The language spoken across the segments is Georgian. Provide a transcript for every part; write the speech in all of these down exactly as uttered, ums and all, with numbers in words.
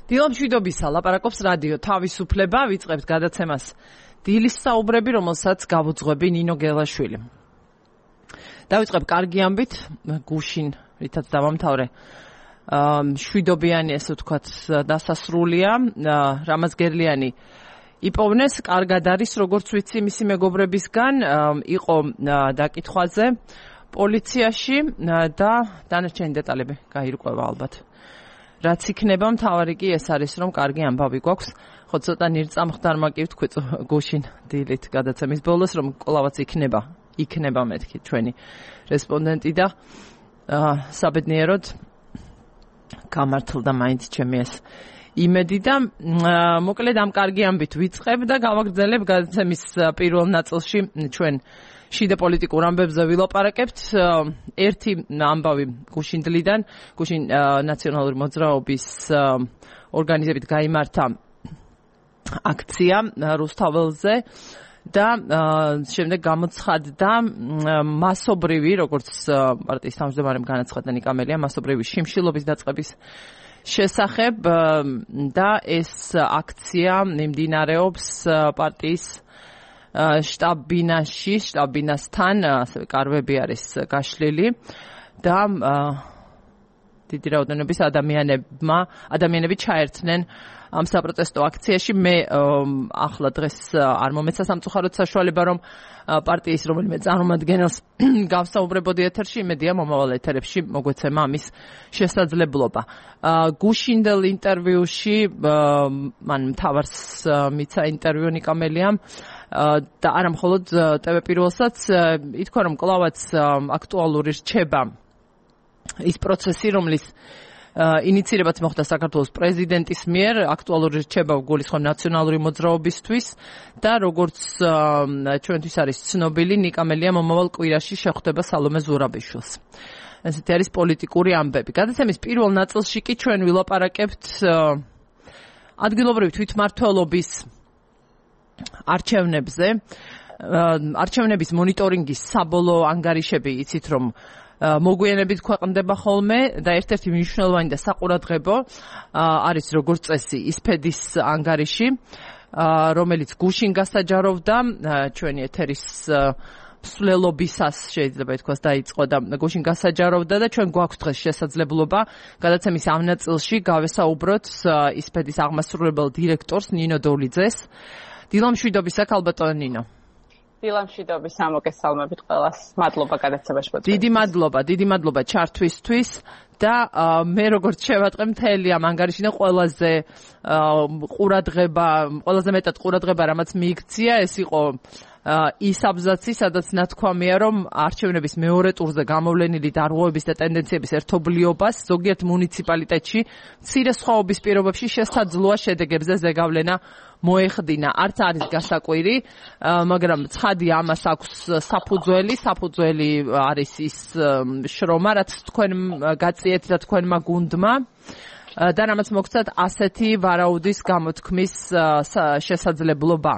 დილა მშვიდობისა, ლაპარაკობს რადიო თავისუფლება, ვიწყებთ გადაცემას დილის საუბრები, რომელსაც გავუძღვები ნინო გელაშვილი. დავიწყებ კარგი ამბით, გუშინ, რითაც დავამთავრე, მშვიდობიანი, ესე ვთქვათ, დასასრულია, რამაზ გერლიანი იპოვნეს, კარგად არის, როგორც ვიცი, მისი მეგობრებისგან, იყო დაკითხვაზე პოლიციაში და დანარჩენი დეტალები გაირკვევა ალბათ. რაც იქნება, მთავარი კი ეს არის, რომ კარგი ამბავი გვაქვს. ხო, ცოტა ნირწამხდარმა კი ვთქვი გუშინ დილით გადაცემის ბოლოს, რომ კვლავაც იქნება, იქნება მეთქი ჩვენი რესპონდენტი და საბედნიეროდ გამართლდა მაინც ჩემი ეს იმედი და მოკლედ ამ კარგი ამბით ვიწყებ და გავაგრძელებ გადაცემის პირველ ნაწილში ჩვენ შიდა პოლიტიკურ ამბებზე ვილაპარაკებთ. ერთი ამბავი გუშინდლიდან, გუშინ ნაციონალური მოძრაობის ორგანიზებით გაიმართა აქცია რუსთაველზე და შემდეგ გამოცხადდა მასობრივი, როგორც პარტიის თავმჯდომარემ განაცხადა ნიკა მელია, მასობრივი შიმშილობის დაწყების შესახებ და ეს აქცია მიმდინარეობს პარტიის შტაბ-ბინაში, შტაბ-ბინასთან, ასევე კარვები არის გაშლილი და დიდი რაოდენობის ადამიანებმა, ადამიანები ჩაერთნენ ამ საპროტესტო აქციაში. მე ახლა დღეს არ მომეცა სამწუხაროდ საშუალება, რომ პარტიის რომელიმე წარმომადგენელს გავსაუბრებოდი ეთერში, იმედია მომავალ ეთერებში მოგვეცემა ამის შესაძლებლობა. გუშინდელ ინტერვიუში მან მთავარს მიცა ინტერვიუ ნიკა მელიამ და არა მხოლოდ ტევ პირველსაც ითქვა, რომ კვლავაც აქტუალური რჩება ის პროცესი, რომლის ინიცირებაც მოხდა საქართველოს პრეზიდენტის მიერ, აქტუალური რჩება გულისხმობ ნაციონალური მოძრაობისთვის და როგორც ჩვენთვის არის ცნობილი, ნიკა მელიამ მომავალ კვირაში შეხვდება სალომე ზურაბიშვილს. ესეთი არის პოლიტიკური ამბები. გადაცემის პირველ ნაწილში კი ჩვენ ვილაპარაკებთ ადგილობრივი თვითმმართველობის არჩევნებზე. არჩევნების მონიტორინგის საბოლოო ანგარიშები იცით, რომ მოგვიანებით ქვეყნდება ხოლმე და ერთ-ერთი მნიშვნელოვანი და საყურადღებო არის როგორც წესი ისფედის ანგარიში, რომელიც გუშინ გასაჯაროვდა ჩვენი ეთერის მსვლელობისას შეიძლება ითქვას დაიწყო და გუშინ გასაჯაროვდა და ჩვენ გვაქვს დღეს შესაძლებლობა გადაცემის ამ ნაწილში გავესაუბროთ ისფედის აღმასრულებელ დირექტორს ნინო დოლიძეს. დილა მშვიდობისა, ქალბატონო ნინო. დილა მშვიდობისა, მოგესალმებით ყველას. მადლობა გადაცემაში მოწვევისთვის. დიდი მადლობა, დიდი მადლობა ჩართვისთვის და მე როგორც შევატყე მთელი ამ ანგარიშიდან ყველაზე ყურადღება, ყველაზე მეტად ყურადღება რამაც მიიქცია, ეს იყო ის აბზაცი, სადაც ნათქვამია, რომ არჩევნების მეორე ტურზე გამოვლენილი დარღვევების და ტენდენციების ერთობლიობას ზოგიერთ მუნიციპალიტეტში მცირე სხვაობის პირობებში შესაძლოა შედეგებზე ზეგავლენა მოეხდინა. არც არის გასაკვირი, მაგრამ ცხადია ამას აქვს საფუძველი, საფუძველი არის ის შრომა, რაც თქვენ გაწიეთ და თქვენმა გუნდმა და რამაც მოგცათ ასეთი ვარაუდის გამოთქმის შესაძლებლობა.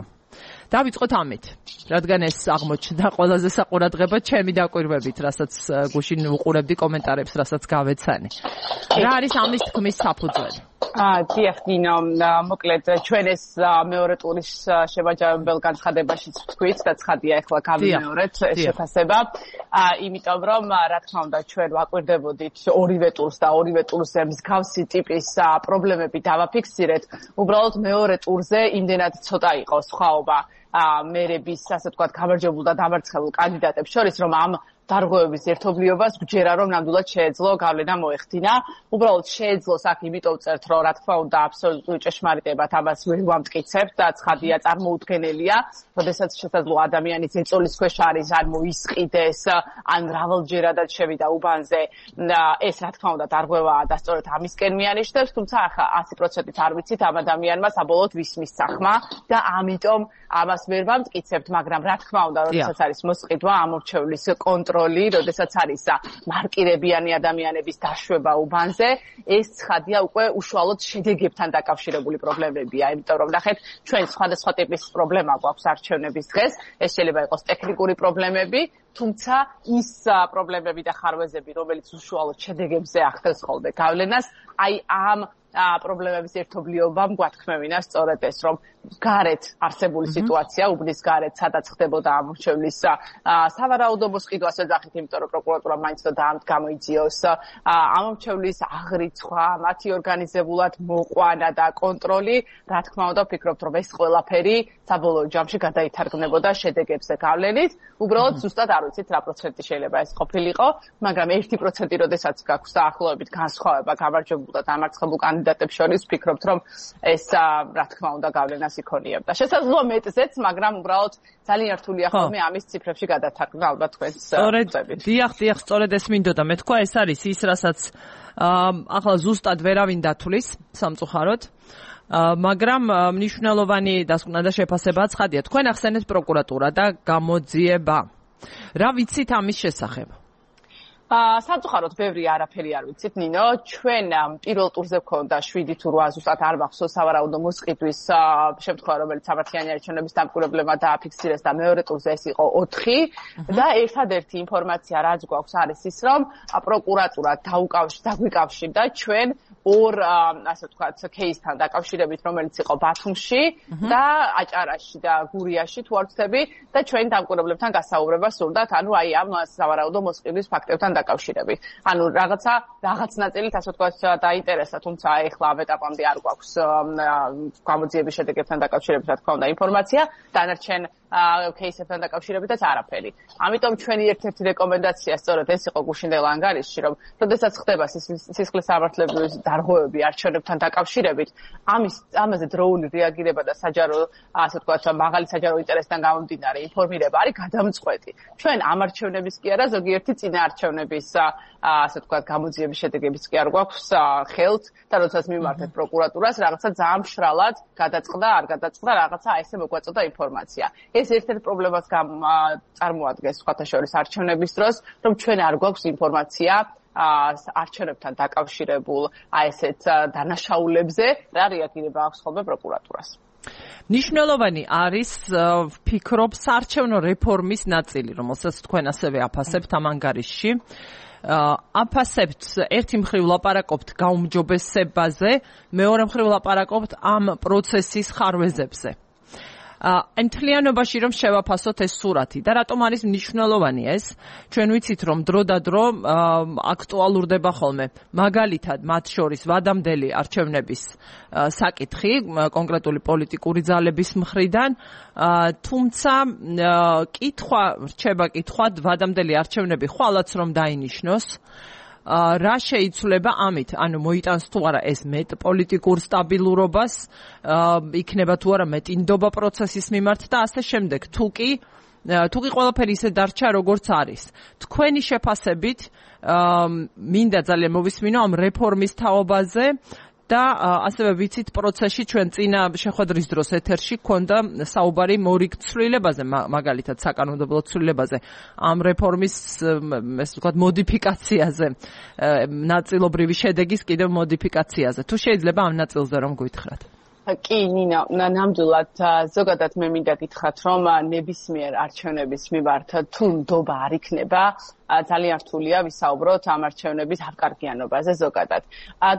დავიწყოთ ამით, რადგან ეს აღმოჩნდა ყველაზე საყურადღებო ჩემი დაკვირვებით, რასაც გუშინ უყურებდი კომენტარებს, რასაც გავეცანი. რა არის ამის თქმის საფუძველი? დიახ, ნინო, მოკლედ ჩვენ ეს მეორე ტურის შევაჯამებელ განცხადებაშიც ვთქვით და ცხადია ახლა გავიმეორეთ ეს შეფასება. იმიტომ რომ რა თქმა უნდა ჩვენ ვაკვირდებოდით ორივე ტურს და ორივე ტურზე მსგავსი ტიპის პრობლემები დავაფიქსირეთ. უბრალოდ მეორე ტურზე იმდენად ცოტა იყო სხვაობა მერების, ასე ვთქვათ, გამარჯვებულ და დამარცხებულ კანდიდატებს შორის, რომ ამ დარღვევების ერთობლიობას გვჯერა, რომ ნამდვილად შეეძლო გავლენა მოეხდინა. უბრალოდ შეეძლოს აქ იმიტომ წერთ, რომ რა თქმა უნდა აბსოლუტური ჭეშმარიტებად ამას ვერ ვამტკიცებთ და ცხადია წარმოუდგენელია, როდესაც შესაძლოა ადამიანი ზეწოლის ქვეშ არის, ან მოისყიდეს, ან მრავალჯერადად შევიდა უბანზე. ეს რა თქმა უნდა დარღვევაა და სწორედ ამისკენ მიანიშნებს, თუმცა ახლა ასი პროცენტით არ ვიცით ამ ადამიანმა საბოლოოდ ვის მისცახმა და ამიტომ ამას ვერ ვამტკიცებთ, მაგრამ რა თქმა უნდა, როდესაც არის მოსყიდვა ამორჩევლის კონტროლი, როდესაც არის მარკირებიანი ადამიანების დაშვება უბანზე, ეს ცხადია უკვე უშუალოდ შედეგებთან დაკავშირებული პრობლემებია, იმიტომ რომ ნახეთ, ჩვენ სხვადასხვა ტიპის პრობლემა გვაქვს არჩევნების დღეს, ეს შეიძლება იყოს ტექნიკური პრობლემები, თუმცა ის პრობლემები და ხარვეზები, რომელიც უშუალოდ შედეგებზე ახდენს ხოლმე გავლენას, აი ამ პრობლემების ერთობლიობამ გვათქმევინა სწორედ ეს, რომ გარეთ არსებული სიტუაცია, უბნის გარეთ, სადაც ხდებოდა ამორჩევლის სავარაუდო მოსყიდვას ეძახით, იმიტომ რომ პროკურატურა მაინც და გამოიძიოს ამორჩევლის აღრიცხვა, მათი ორგანიზებულად მოყვანა და კონტროლი, რა თქმა უნდა, ვფიქრობთ, რომ ეს ყველაფერი საბოლოო ჯამში გადაითარგმნებოდა შედეგებზე გავლენით. უბრალოდ ზუსტად არ ვიცით რა პროცენტი შეიძლება ეს ყოფილიყო, მაგრამ ერთი პროცენტი როდესაც გაქვს დაახლოებით განსხვავება გამარჯვებულ და დამარცხებულ კანდიდატებს შორის, ვფიქრობთ, რომ ეს რა თქმა უნდა გავლენას იქონიებდა. შესაძლოა მეტზეც, მაგრამ უბრალოდ ძალიან რთულია ხოლმე ამის ციფრებში გადათარგმნა ალბათ თქვენს წებით. დიახ, დიახ, სწორედ ეს მინდოდა. მე თქვა ეს არის ის, რასაც ახლა ზუსტად ვერავინ დათვლის სამწუხაროდ. მაგრამ მნიშვნელოვანი დასკვნა და შეფასება ცხადია. თქვენ ახსენეთ პროკურატურა და გამოძიება. რა ვიცით ამის შესახებ? სამწუხაროდ ბევრი არაფერი არ ვიცით, ნინო. ჩვენ პირველ ტურზე გვქონდა შვიდი თუ რვა ზუსტად არ მახსოვს სავარაუდო მოსყიდვის შემთხვევა, რომელიც სამართლიანი არჩევნების დამკვირვებლებმა დააფიქსირეს და მეორე ტურზე ეს იყო ოთხი და ერთადერთი ინფორმაცია რაც გვაქვს არის ის, რომ პროკურატურა დაგვიკავშირდა ჩვენ ორ ასე ვთქვათ кейსთან დაკავშირებით, რომელიც იყო ბათუმში და აჭარაში და გურიაში თუ არ ვცდები და ჩვენ დამკვირვებლებთან გასაუბრება სურდათ, ანუ აი ამ სავარაუდო მოსყიდვის ფაქტებთან დაკავშირებით. ანუ რაღაცა რაღაც ნაწილით ასე ვთქვათ დაინტერესა, თუმცა ეხლა ამ ეტაპამდე არ გვაქვს გამოძიების შედეგებთან დაკავშირებით რა თქმა უნდა ინფორმაცია, დანარჩენ кейსებთან დაკავშირებითაც არაფერი. ამიტომ ჩვენი ერთ-ერთი რეკომენდაცია სწორედ ეს იყო გუშინდელ ანგარიშში, რომ როდესაც ხდება სისხლის სამართლებრივი დარღვევები არჩევნებთან დაკავშირებით, ამის ამაზე დროული რეაგირება და საჯარო ასე ვთქვათ მაღალი საჯარო ინტერესთან გამომდინარე ინფორმირება არის გადამწყვეტი. ჩვენ ამ არჩევნების კი არა, ზოგიერთი წინა არჩევნების ასე ვთქვათ გამოძიების შედეგებიც კი არ გვაქვს ხელთ და როდესაც მიმართეთ პროკურატურას, რაღაცა ძალიან მშრალად გადაწყდა, არ გადაწყდა, რაღაცა ესე მოგვაწოდა ინფორმაცია. ეს ერთ-ერთ პრობლემას წარმოადგენს სხვათა შორის არჩევნების დროს, რომ ჩვენ არ გვაქვს ინფორმაცია არჩევნებთან დაკავშირებულ აი ესეთ დანაშაულებზე, რა რეაგირება აქვს ხოლმე პროკურატურას. მნიშვნელოვანი არის ვფიქრობ საარჩევნო რეფორმის ნაწილი, რომელსაც თქვენ ასევე აფასებთ ამ ანგარიშში. აფასებთ ერთი მხრივ ლაპარაკობთ გაუმჯობესებაზე, მეორე მხრივ ლაპარაკობთ ამ პროცესის ხარვეზებზე. Მთლიანობაში რომ შევაფასოთ ეს სურათი და რატომ არის მნიშვნელოვანი ეს? ჩვენ ვიცით რომ დრო და დრო აქტუალურდება ხოლმე. მაგალითად, მათ შორის ვადამდელი არჩევნების საკითხი, კონკრეტული პოლიტიკური ძალების მხრიდან, თუმცა კითხვა, რჩება კითხვა, ვადამდელი არჩევნები ხვალაც რომ დაინიშნოს, რა შეიცვლება ამით, ანუ მოიტანს თუ არა ეს მეტ პოლიტიკურ სტაბილურობას, იქნება თუ არა მეტინდობა პროცესის მიმართ და ასე შემდეგ. თუ კი თუ კი ყველაფერი ისე დარჩა როგორც არის. თქვენი შეფასებით მინდა ძალიან მოვისმინო ამ რეფორმის თაობაზე და ასევე ვიცით პროცესში ჩვენ წინა შეხვედრის დროს ეთერში გქონდა საუბარი მორიგ ცვლილებაზე, მაგალითად საკანონმდებლო ცვლილებაზე, ამ რეფორმის ესე ვთქვათ მოდიფიკაციაზე, ნაწილობრივი შედეგის კიდევ მოდიფიკაციაზე. თუ შეიძლება ამ ნაწილზე რომ გითხრათ. კი, ნინა, ნამდვილად ზოგადად მე მინდა გითხრათ, რომ ნებისმიერ არჩევნების მიმართ თუ ნდობა არ იქნება, ძალიან რთულია ვისაუბროთ ამ არჩევნების ავკარგიანობაზე ზოგადად.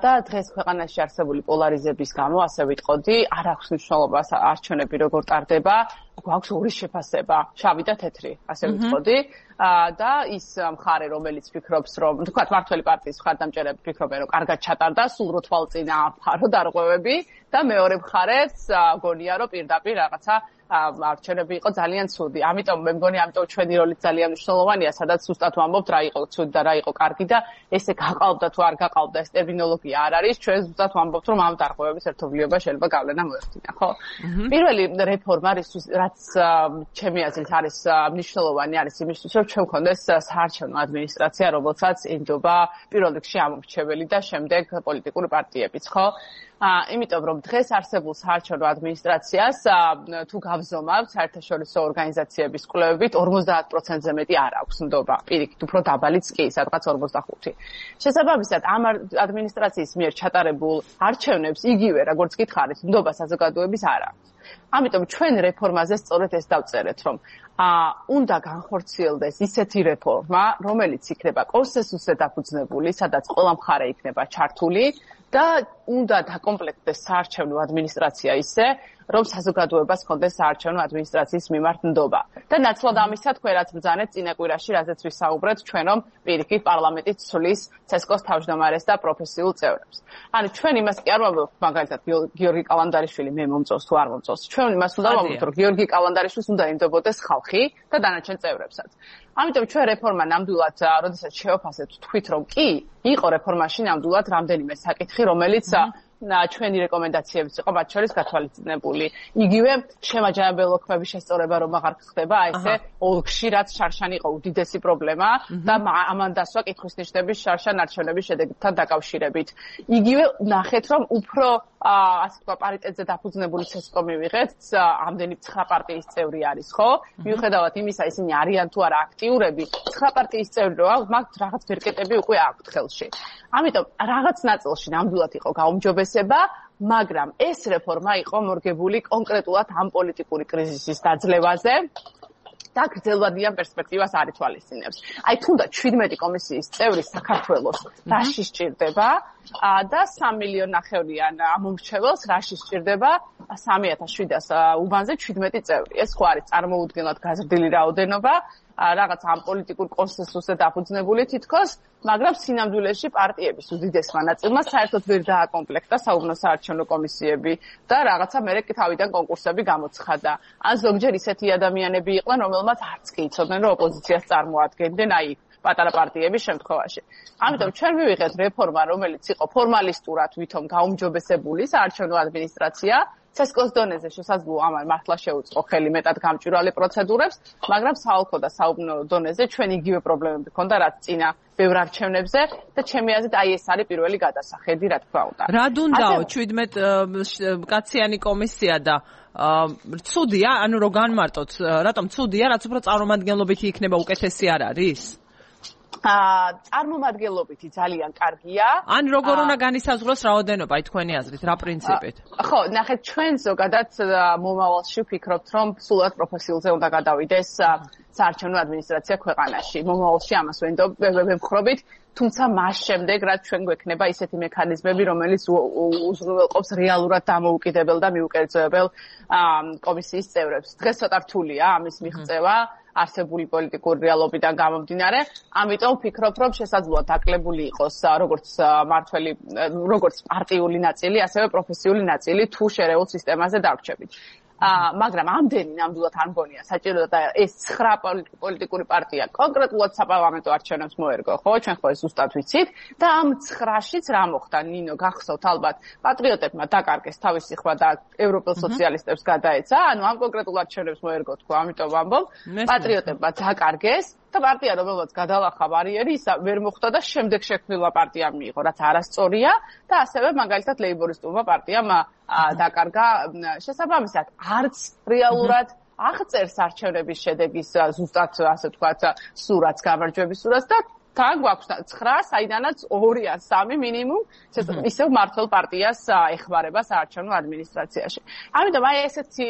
და დღეს ქვეყანაში არსებული პოლარიზების გამო, ასე ვიტყოდი, არ აქვს მნიშვნელობას არჩევნები როგორ ტარდება, გვაქვს ორი შეფასება, შავი და თეთრი, ასე ვიტყოდი. და ის მხარე, რომელიც ფიქრობს, რომ თქვათ მართველი პარტიის მხარდამჭერები ფიქრობენ, რომ კარგად ჩატარდა, სულ რო თვალწინა ამფარო დარღვევები და მეორე მხარეს გონია, რომ პირდაპირ რაღაცა არჩევნები იყო ძალიან ცუდი. ამიტომ მე მგონი, ამიტომ ჩვენი როლი ძალიან მნიშვნელოვანია, სადაც ზუსტად ვამბობთ, რა იყო ცუდი და რა იყო კარგი და ესე გაყალბდა თუ არ გაყალბდა, ეს ტერმინოლოგია არ არის. ჩვენ ზუსტად ვამბობთ, რომ ამ დარღვევების ერთობლიობა შეიძლება გავლენა მოეხდინა, ხო? პირველი რეფორმა, რაც ჩემი აზრით არის მნიშვნელოვანი, არის იმისთვის, რომ ჩვენ გქონდეს საარჩევნო ადმინისტრაცია, რომელსაც ენდობა პირველ რიგში ამორჩეველი და შემდეგ პოლიტიკური პარტიებიც, ხო? იმიტომ რომ დღეს არსებულ საარჩევნო ადმინისტრაციას თუ გავზომავთ საერთაშორისო ორგანიზაციების კვლევებით ორმოცდაათ პროცენტზე მეტი არ აქვს ნდობა. პირიქით, უფრო დაბალიც კი, სადღაც ორმოცდახუთი. შესაბამისად, ამ ადმინისტრაციის მიერ ჩატარებულ არჩევნებს იგივე, როგორც გითხარით, ნდობა საზოგადოების არ აქვს. ამიტომ ჩვენ რეფორმაზე სწორედ ეს დავწერეთ, რომ უნდა განხორციელდეს ისეთი რეფორმა, რომელიც იქნება კონსენსუსზე დაფუძნებული, სადაც ყველა მხარე იქნება ჩართული და უნდა დაკომპლექტდეს საარჩევნო ადმინისტრაცია ისე, რომ საზოგადოებას ჰქონდეს საარჩევნო ადმინისტრაციის მიმართ ნდობა. და ნაცვლად ამისა თქვენ რაც ბრძანეთ წინა კვირაში, რაზეც ვისაუბრეთ, ჩვენ რომ პირიქით პარლამენტი ცვლის ცესკოს თავმჯდომარეს და პროფესიულ წევრებს. ანუ ჩვენ იმას კი არ ვამბობთ, მაგალითად გიორგი კალანდარიშვილი მე მომწონს თუ არ მომწონს. ჩვენ იმას უნდა ვამბობთ, რომ გიორგი კალანდარიშვილს უნდა ინდობოდეს ხალხი და დანარჩენ წევრებსაც. ამიტომ ჩვენ რეფორმა ნამდვილად, როდესაც შევაფასეთ, თქვით რომ კი, იყო რეფორმაში ნამდვილად რამდენიმე საკითხი, რომელიც ჩვენი რეკომენდაციებიც იყო მათ შორის გათვალისწინებული. იგივე შემაჯამებელი შესწორება რომ აღარ ხდება, აი ესე ოლქში რაც შარშან იყო უდიდესი პრობლემა და ამან დასვა კითხვის ნიშნების შარშან არჩევნების შედეგთან დაკავშირებით. იგივე ნახეთ რომ უფრო ასე თქვა პარიტეტზე დაფუძნებული ცესკო მივიღეთ, ამდენი ცხრა პარტიის წევრი არის, ხო? მიუხედავად იმისა, ისინი არიან თუ არა აქტიურები, ცხრა პარტიის წევრი რო აქვს, მაგ რაღაც ბერკეტები უკვე აქვთ ხელში. ამიტომ რაღაც ნაწილში ნამდვილად იყო გაუმჯობესება, მაგრამ ეს რეფორმა იყო მორგებული კონკრეტულად ამ პოლიტიკური კრიზისის დაძლევაზე და გრძელვადიან პერსპექტივას არ ითვალისწინებს. აი თუნდაც შვიდმეტი კომისიის წევრი საქართველოს რაში სჭირდება და სამი მილიონი ნახევრიან ამომრჩეველს რაში სჭირდება სამი ათას შვიდას უბანზე შვიდმეტი წევრი. ეს ხო არის წარმოუდგენლად გაზრდილი რაოდენობა, რაღაც ამ პოლიტიკურ კონსენსუსზე დაფუძნებული თითქოს, მაგრამ სინამდვილეში პარტიების უდიდესმა ნაწილმა საერთოდ ვერ დააკომპლექტა საუბნო საარჩევნო კომისიები და რაღაცა მერე თავიდან კონკურსები გამოცხადა. ან ზოგჯერ ისეთი ადამიანები იყვნენ, რომელმაც არც კი იცოდნენ, რომ ოპოზიციას წარმოადგენდნენ, აი პატარა პარტიების შემთხვევაში. ამიტომ ჩვენ მივიღეთ რეფორმა, რომელიც იყო ფორმალისტურად ვითომ გაუმჯობესებული საარჩევნო ადმინისტრაცია, ცესკოს დონეზე შესაძლოა ამან მართლა შეუწყო ხელი მეტად გამჭვირვალე პროცედურებს, მაგრამ საოლქო და საუბნო დონეზე ჩვენ იგივე პრობლემები ჰქონდა, რაც წინა ბევრ არჩევნებზე და ჩემი აზრით აი ეს არის პირველი გადასახედი, რა თქმა უნდა. რა დუნდაო შვიდმეტ კაციანი კომისია და ცუდია, ანუ რო განმარტოთ, რატომ ცუდია, რაც უფრო წარმომადგენლობითი იქნება უკეთესი არ არის? აა წარმომადგენლობითი ძალიან კარგია. ან როგორ უნდა განისაზღვროს რაოდენობა თქვენი აზრით, რა პრინციპით? ხო, ნახეთ, ჩვენ ზოგადად მომავალში ვფიქრობთ, რომ სულად პროფესიულზე უნდა გადავიდეს საარჩევნო ადმინისტრაცია ქვეყანაში. მომავალში ამას ვემხრობით, თუმცა მას შემდეგ, რაც ჩვენ გვექნება ისეთი მექანიზმები, რომელიც უზრუნველყოფს რეალურად დამოუკიდებელ და მიუკერძოებელ კომისიის წევრებს. დღეს ცოტა რთულია ამის მიღწევა. არსებული პოლიტიკური რეალობიდან გამომდინარე, ამიტომ ვფიქრობ, რომ შესაძლოა დაკლებული იყოს როგორც მართველი, როგორც პარტიული ნაწილი, ასევე პროფესიული ნაწილი თუ შერეულ სისტემაზე დავრჩებით. მაგრამ ამდენი ნამდვილად არ მგონია საჭირო და ეს ცხრა პოლიტიკური პარტია კონკრეტულად საპარლამენტო არჩევნებს მოერგო, ხო? ჩვენ ხო ეს ზუსტად ვიცით და ამ ცხრაშიც რა მოხდა, ნინო, გახსოვთ ალბათ, პატრიოტებმა დაკარგეს თავისი ხმა და ევროპელ სოციალისტებს გადაეცა, ანუ ამ კონკრეტულ არჩევნებს მოერგო თქვა, ამიტომ ვამბობ, პატრიოტებმა დაკარგეს და პარტია რომელსაც გადალახა ბარიერი, ისა ვერ მოხდა და შემდეგ შექმნილმა პარტიამ მიიღო, რაც არასწორია და ასევე მაგალითად ლეიბორისტულმა პარტიამ დაკარგა შესაბამისად არც რეალურად აღწერს არჩევნების შედეგის ზუსტად ასე ვთქვათ სურათს, გამარჯვების სურათს და თან გვაქვს ცხრა, საიდანაც ორი ან სამი მინიმუმ ისევ მართლ პარტიას ეხმარება საარჩევნო ადმინისტრაციაში. ამიტომ აი ესეთი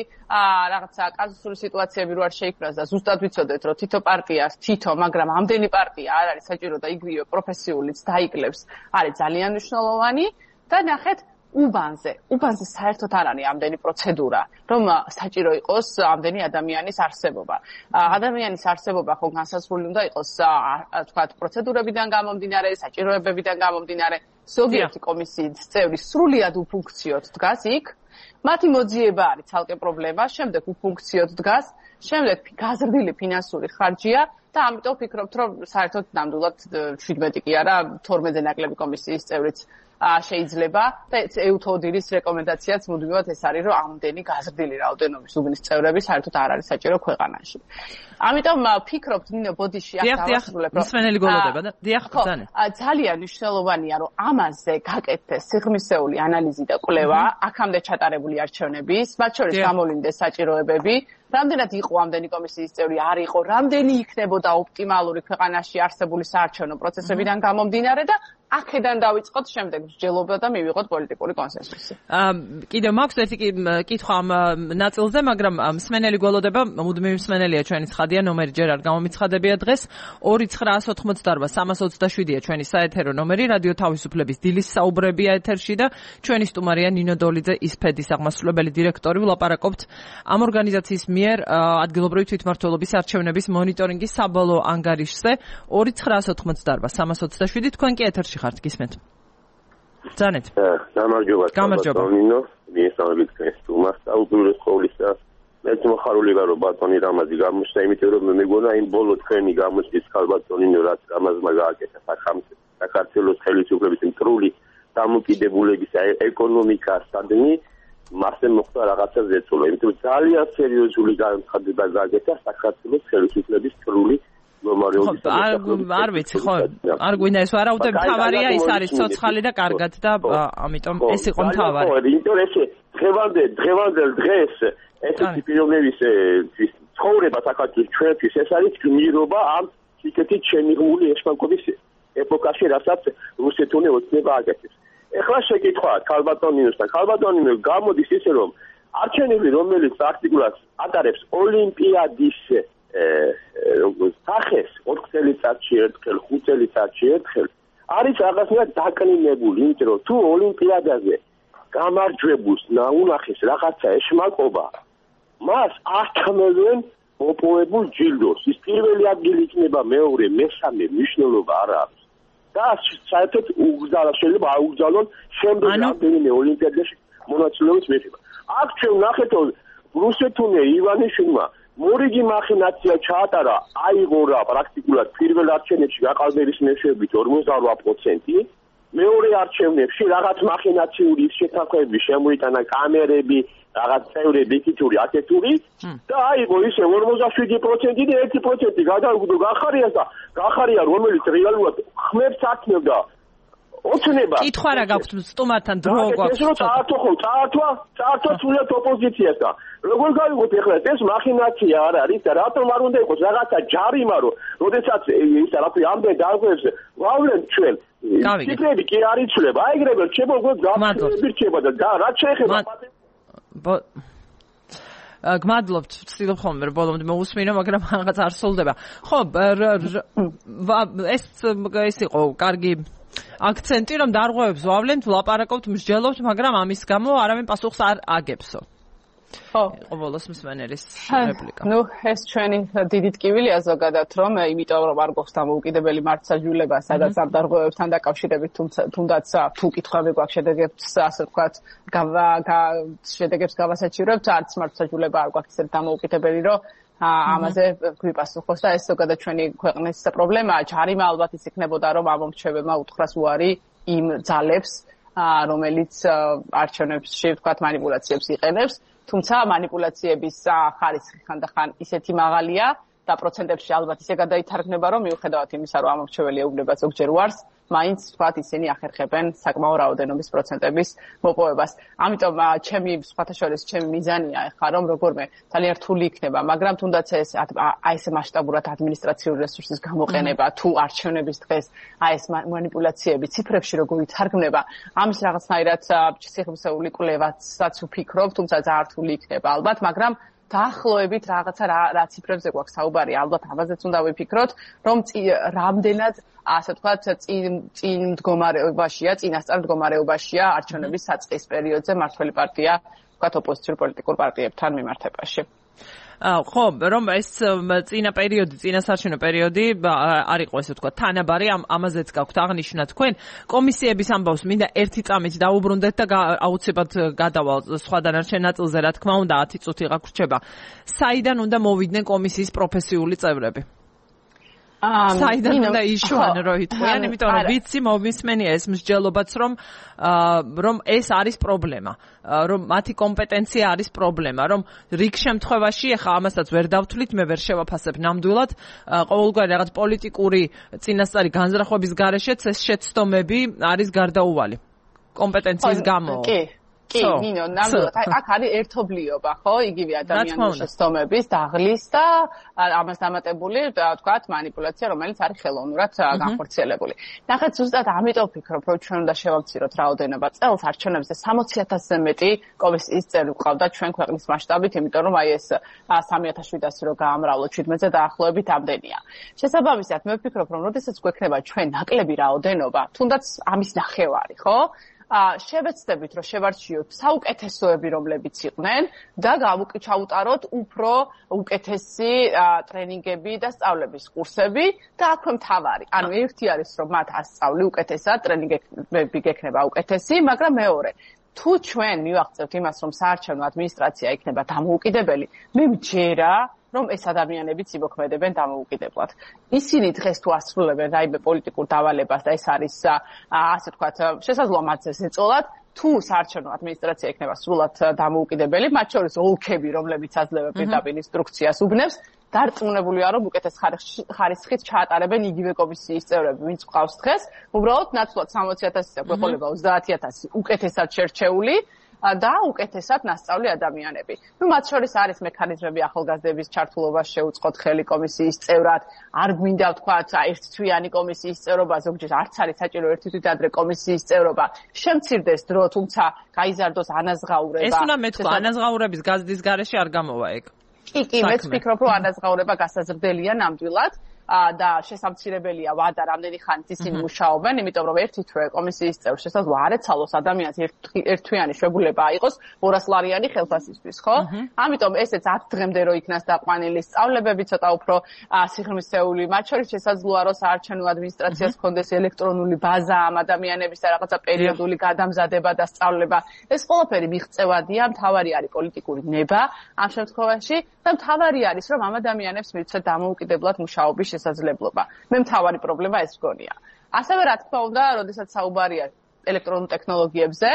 რაღაცა კაზუსური სიტუაციები რო არ შეიქმნას და ზუსტად ვიცოდეთ, რომ თითო პარტიას თითო, მაგრამ ამდენი პარტია არ არის საჭირო და იგივე პროფესიულიც დაიკლებს, არის ძალიან მნიშვნელოვანი და ნახეთ უბანზე, უბანზე საერთოდ არ არის ამდენი პროცედურა, რომ საჭირო იყოს ამდენი ადამიანის არსებობა. ადამიანის არსებობა ხო განსაზღვრული უნდა იყოს, თქვათ, პროცედურებიდან გამომდინარე, საჭიროებებიდან გამომდინარე. ზოგიერთი კომისიის წევრი სრულიად უფუნქციოდ დგას იქ, მათი მოძიება არის ცალკე პრობლემა, შემდეგ უფუნქციოდ დგას, შემდეგ გაზრდილი ფინანსური ხარჯია და ამიტომ ვფიქრობთ, რომ საერთოდ ნამდვილად შვიდმეტი კი არა, თორმეტზე ნაკლები კომისიის წევრიც შეიძლება და ეუთოდირის რეკომენდაციაც მუდმივად ეს არის, რომ ამდენი გაზრდილი რაოდენობის უბნის წევრები საერთოდ არ არის საჭირო ქვეყანაში. ამიტომ ვფიქრობთ, ნინო, ბოდიში აქ დავასრულებ, რომ მსმენელი გოლოდება და დიახ, ბრძანეთ. ძალიან მნიშვნელოვანია, რომ ამაზე გაკეთდეს სიღრმისეული ანალიზი და კვლევა, აქამდე ჩატარებული არჩევნების, მათ შორის გამოვლინდეს საჭიროებები, რამდენად იყო ამდენი კომისიის წევრი, არ იყო, რამდენი იქნებოდა ოპტიმალური ქვეყანაში არსებული საარჩევნო პროცესებიდან გამომდინარე და აქედან დავიწყოთ შემდეგ მსჯელობა და მივიღოთ პოლიტიკური კონსენსუსი. აა კიდევ მაქვს ერთი კითხვა ამ ნაწილზე, მაგრამ მსმენელი გველოდება, მუდმივი მსმენელია ჩვენი ცხადია, ნომერი ჯერ არ გამომიცხადებია დღეს. ორი ცხრაას ოთხმოცდაარბა სამას ოცდაშვიდია ჩვენი საეთერო ნომერი, რადიო თავისუფლების დილის საუბრებია ეთერში და ჩვენი სტუმარია ნინო დოლიძე, ისფედის აღმასრულებელი დირექტორი. ვლაპარაკობთ ამ ორგანიზაციის მიერ ადგილობრივი თვითმმართველობის არჩევნების მონიტორინგის საბოლოო ანგარიშზე. ორი ცხრაას ოთხმოცდაარბა სამას ოცდაშვიდი თქვენ კი ეთერში ხართ, გისმენთ. Ძანეთ. გამარჯობა. გამარჯობა. ნინო, მიესალმებით თქვენს სტუმარს და უპირველეს ყოვლისა მეც მოხარული ვარ, რომ ბატონი რამაზი გამოჩნდა, იმიტომ რომ მე მეგონა იმ ბოლო თქვენი გამოჩნდის ხალბატონინო, რაც რამაზმა გააკეთა საქართველოს ხელისუფლების მტრული დამოკიდებულების ეკონომიკასადმი, მასე მოხდა რაღაცა ზეწოლა, იმიტომ რომ ძალიან სერიოზული განცხადება გააკეთა საქართველოს ხელისუფლების მტრული არ ვიცი ხო არ გვინდა ეს ვარაუდე მთავარია ის არის ცოცხალი და კარგად და ამიტომ ეს იყო მთავარი იმიტომ ეს დღევანდელ დღევანდელ დღეს ესეთი პიროვნების ცხოვრება საქართველოს ჩვენთვის ეს არის გმირობა ამ სიკეთით შემიღმული ეშმაკობის ეპოქაში რასაც რუსეთონი ოცნება აკეთებს ეხლა შეკითხვა ქალბატონინოსთან ქალბატონინო გამოდის ისე რომ არჩევნები რომელიც პრაქტიკულად ატარებს ოლიმპიადის სახეს ოთხ წელიწადში ერთხელ, ხუთ წელიწადში ერთხელ არის რაღაცნაირად დაკლინებული, იმიტომ რომ თუ ოლიმპიადაზე გამარჯვებულს ნაუნახეს რაღაცა ეშმაკობა, მას ართმევენ მოპოვებულ ჯილდოს. ის პირველი ადგილი იქნება, მეორე, მესამე მნიშვნელობა არ აქვს. და საერთოდ უგზალა შეიძლება აუგზავნონ შემდეგ რამდენიმე ოლიმპიადაში მონაწილეობის მიღება. აქ ჩვენ ვნახეთ რომ რუსეთუნე ივანიშვილმა მორიგი მახინაცია ჩაატარა, აიღო რა პრაქტიკულად პირველ არჩევნებში გაყალბების მეშვეობით ორმოცდაორვა პროცენტი, მეორე არჩევნებში რაღაც მახინაციური შეთანხმებები შემოიტანა კამერები, რაღაც წევრები, იქითური, აკეთური და აიღო ისე ორმოცდაშვიდი პროცენტი და ერთი პროცენტი გადაუგდო გახარიას და გახარია რომელიც რეალურად ხმებს აკნევდა ოცნება. კითხვა რა გაქვთ სტუმართან დრო გვაქვს. ეს რო წაართვა ხო, წაართვა, წაართვა სულად ოპოზიციას და როგორ გავიგოთ ეხლა ეს მახინაცია არ არის და რატომ არ უნდა იყოს რაღაცა ჯარიმა რომ როდესაც ის რაფი ამდენ დაგვებს ვავლენ ჩვენ ციფრები კი არ იცვლება აი ეგრევე რჩება უკვე გაფრთხილები რჩება და რაც შეეხება გმადლობთ, ვცდილობ ხოლმე რომ ბოლომდე მოусმინო, მაგრამ რაღაც არ სრულდება. ხო, ეს ეს იყო კარგი აქცენტი რომ დარღვევებს ვავლენთ, ვლაპარაკობთ, მსჯელობთ, მაგრამ ამის გამო არავინ პასუხს არ აგებსო. ხო, იყო ბოლოს მსმენელის რეპლიკა. ნუ ეს ჩვენი დიდი ტკივილია ზოგადად რომ იმიტომ რომ არ გვაქვს დამოუკიდებელი მართლმსაჯულება, სადაც ამ დარღვევებთან დაკავშირებით თუნდაც თუ კითხვები გვაქვს შედეგებს ასე ვთქვათ, შედეგებს გავასაჩივრებთ, არც მართლმსაჯულება არ გვაქვს ისეთ დამოუკიდებელი რომ ამაზე გვიპასუხოს და ეს ზოგადად ჩვენი ქვეყნის პრობლემაა. ჯარიმა ალბათ ის იქნებოდა რომ ამომრჩევებმა უთხრას უარი იმ ძალებს, რომელიც არჩევნებში ვთქვათ манипуляციებს იყენებს, თუმცა манипуляციების ხარისხი ხანდახან ისეთი მაღალია და პროცენტებში ალბათ ისე გადაითარგმნება რომ მიუხედავად იმისა რომ ამორჩეველი ეუბნება ზოგჯერ უარს, მაინც ვთქვათ ისინი ახერხებენ საკმაო რაოდენობის პროცენტების მოპოვებას. ამიტომ ჩემი სხვათა შორის ჩემი მიზანია ახლა რომ როგორმე ძალიან რთული იქნება, მაგრამ თუნდაც ეს აი ეს მასშტაბურად ადმინისტრაციული რესურსის გამოყენება თუ არჩევნების დღეს აი ეს манипуляციები ციფრებში როგორ ითარგმნება, ამის რაღაცნაირად სიხმსეული კვლევასაც ვფიქრობ, თუმცა ძალიან რთული იქნება ალბათ, მაგრამ დაახლოებით რაღაცა რა ციფრებზე გვაქვს საუბარი, ალბათ ამაზეც უნდა ვიფიქროთ, რომ რამდენად ასე ვთქვათ, წინ წინ მდგომარეობაშია, წინასწარ მდგომარეობაშია არჩევნების საწყის პერიოდზე მართველი პარტია, ვთქვათ, ოპოზიციურ პოლიტიკურ პარტიებთან მიმართებაში. ხო, რომ ეს წინა პერიოდი, წინასარჩევნო პერიოდი არ იყო ესე ვთქვათ, თანაბარი, ამაზეც გაქვთ აღნიშნა თქვენ. კომისიების ამბავს მინდა ერთი წამით დაუბრუნდეთ და აუცილებლად გადავალ სხვა დანარჩენ ნაწილზე, რა თქმა უნდა, ათი წუთი გაგვრჩება. საიდან უნდა მოვიდნენ კომისიის პროფესიული წევრები? საიდან უნდა იშუან როიტყვიან, იმიტომ რომ ვიცი მომისმენია ეს მსჯელობაც რომ რომ ეს არის პრობლემა, რომ მათი კომპეტენცია არის პრობლემა, რომ რიგ შემთხვევაში ახლა ამასაც ვერ დავთვლით, მე ვერ შევაფასებ ნამდვილად, ყოველგვარი რაღაც პოლიტიკური წინასწარი განზრახვების გარეშეც ეს შეცდომები არის გარდაუვალი. კომპეტენციის გამო. კი. კი, ნინო, ნამდვილად, აი აქ არის ერთობლიობა, ხო? იგივე ადამიანის შეცდომების დაღლის და ამას დამატებული, თქვათ, манипуляცია, რომელიც არის ხელოვნურად განხორციელებული. ნახეთ, ზუსტად ამიტომ ვფიქრობ, რომ ჩვენ უნდა შევამციროთ რაოდენობა წელს არჩევნებზე სამოცი ათასზე მეტი კომისიის წევრი გვყავდა ჩვენ ქვეყნის მასშტაბით, იმიტომ რომ აი ეს სამი ათას შვიდასი რო გაამრავლოთ შვიდმეტზე დაახლოებით ამდენია. შესაბამისად, მე ვფიქრობ, რომ როდესაც გვექნება ჩვენ ნაკლები რაოდენობა, თუნდაც ამის ნახევარი, ხო? შევეცდებით, რომ შევარჩიოთ საუკეთესოები, რომლებიც იყვნენ და ჩაუტაროთ უფრო უკეთესი ტრენინგები და სწავლების კურსები და აქვე მთავარი. ანუ ერთი არის, რომ მათ ასწავლი უკეთესად, ტრენინგები გექნება უკეთესი, მაგრამ მეორე თუ ჩვენ მივაღწევთ იმას, რომ საარჩევნო ადმინისტრაცია იქნება დამოუკიდებელი, მე ვჯერა რომ ეს ადამიანებიც იმოქმედებენ დამოუკიდებლად. ისინი დღეს თუ ასრულებენ რაიმე პოლიტიკურ დავალებას და ეს არის ასე ვთქვათ, შესაძლოა მათ ეს ეწოლათ, თუ საარჩევნო ადმინისტრაცია იქნება სრულად დამოუკიდებელი, მათ შორის ოლქები, რომლებიც აძლევენ პირდაპირ ინსტრუქციას უბნებს, დარწმუნებულია, რომ უკეთეს ხარისხით ჩაატარებენ იგივე კომისიის წევრები, ვინც ყავს დღეს, უბრალოდ ნაცვლად სამოცი ათასისა გვეყოლება ოცდაათი ათასი უკეთესად შერჩეული და უკეთესად ნასწავლი ადამიანები. ნუ მათ შორის არის მექანიზმები ახალგაზრდების ჩართულობას შეუწყოთ ხელი კომისიის წევრად, არ გვინდა ვთქვათ, ერთთვიანი კომისიის წევრობა, ზოგჯერ არც არის საჭირო ერთი თვით ადრე კომისიის წევრობა. შემცირდეს დრო, თუმცა გაიზარდოს ანაზღაურება. ეს უნდა მეთქვა, ანაზღაურების გაზრდის გარეშე არ გამოვა ეგ. კი, კი, მეც ვფიქრობ, რომ ანაზღაურება გასაზრდელია ნამდვილად. და შესამცირებელია ვადა რამდენი ხანით ისინი მუშაობენ, იმიტომ რომ ერთი თვე კომისიის წევრ შესაძლოა არ ეცალოს ადამიანს ერთთვიანი შვებულება აიღოს ორასლარიანი ხელფასისთვის, ხო? ამიტომ ესეც ათ დღემდე რო იქნას დაყვანილი სწავლებები ცოტა უფრო სიღრმისეული, მათ შორის შესაძლოა რომ საარჩევნო ადმინისტრაციას ჰქონდეს ელექტრონული ბაზა ამ ადამიანების და რაღაცა პერიოდული გადამზადება და სწავლება. ეს ყველაფერი მიღწევადია, მთავარი არის პოლიტიკური ნება ამ შემთხვევაში და მთავარი არის რომ ამ ადამიანებს მივცეთ დამოუკიდებლად მუშაობის შესაძლებლობა. მე მთავარი პრობლემა ეს მგონია. ასევე რა თქმა უნდა, როდესაც საუბარია ელექტრონულ ტექნოლოგიებზე,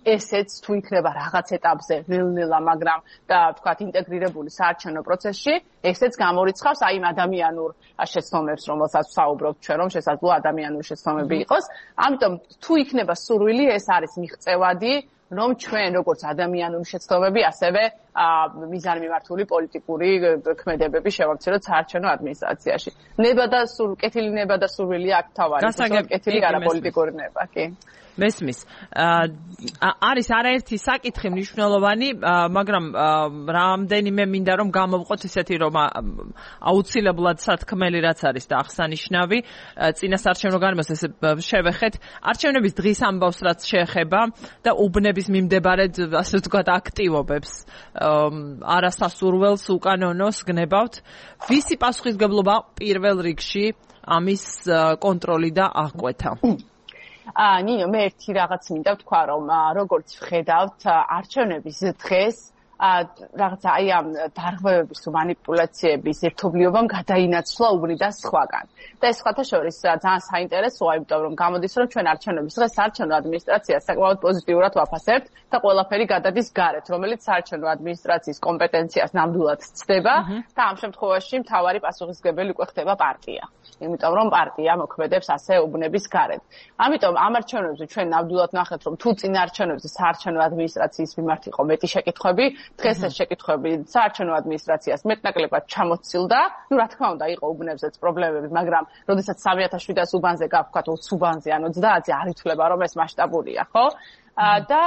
ესეც თუ იქნება რაღაც ეტაპზე ნელ-ნელა, მაგრამ და ვთქვათ ინტეგრირებული საარჩევნო პროცესში, ესეც გამორიცხავს აი იმ ადამიანურ შეცდომებს, რომელსაც ვსაუბრობთ ჩვენ, რომ შესაძლოა ადამიანური შეცდომები იყოს. ამიტომ თუ იქნება სურვილი, ეს არის მიღწევადი, რომ ჩვენ როგორც ადამიანური შეცდომები, ასევე მიზანმიმართული პოლიტიკური ქმედებები შევამციროთ საარჩევნო ადმინისტრაციაში. ნება და სულ კეთილი ნება და სურვილი აქ თავარი, კეთილი არა პოლიტიკური ნება, კი. მესმის. არის არაერთი საკითხი მნიშვნელოვანი, მაგრამ რამდენიმე მინდა რომ გამოვყოთ ისეთი რომ აუცილებლად სათქმელი რაც არის და აღსანიშნავი წინასაარჩევნო გარემოს ესე შევეხეთ არჩევნების დღის ამბავს რაც შეეხება და უბნების მიმდებარედ ასე ვთქვათ აქტივობებს არასასურველს უკანონოს გნებავთ. ვისი პასუხისმგებლობა პირველ რიგში ამის კონტროლი და აღკვეთა? აა ნინო, მე ერთი რაღაც მინდა ვთქვა, რომ როგორც ვხედავთ არჩევნების დღეს რაღაცა აი ამ დარღვევების თუ манипуляციების ერთობლიობამ გადაინაცვლა უბნიდან სხვაგან. და ეს სხვათა შორის ძალიან საინტერესოა, იმიტომ რომ გამოდის, რომ ჩვენ არჩევნების დღეს საარჩევნო ადმინისტრაციას საკმაოდ პოზიტიურად ვაფასებთ და ყველაფერი გადადის გარეთ, რომელიც საარჩევნო ადმინისტრაციის კომპეტენციას ნამდვილად ცდება და ამ შემთხვევაში მთავარი პასუხისმგებელი უკვე ხდება პარტია. იმიტომ რომ პარტია მოქმედებს ასე უბნების გარეთ. ამიტომ ამ არჩევნებზე ჩვენ ნამდვილად ნახეთ, რომ თუ წინა არჩევნებზე საარჩევნო ადმინისტრაციის მიმართ იყო მეტი შეკითხვები, დღეს ეს შეკითხვები საარჩევნო ადმინისტრაციას მეტნაკლებად ჩამოცილდა. ნუ რა თქმა უნდა, იყო უბნებზეც პრობლემები, მაგრამ როდესაც სამი ათას შვიდას უბანზე გავქვათ ოცი უბანზე ან ოცდაათზე არ ითვლება რომ ეს მასშტაბურია, ხო? და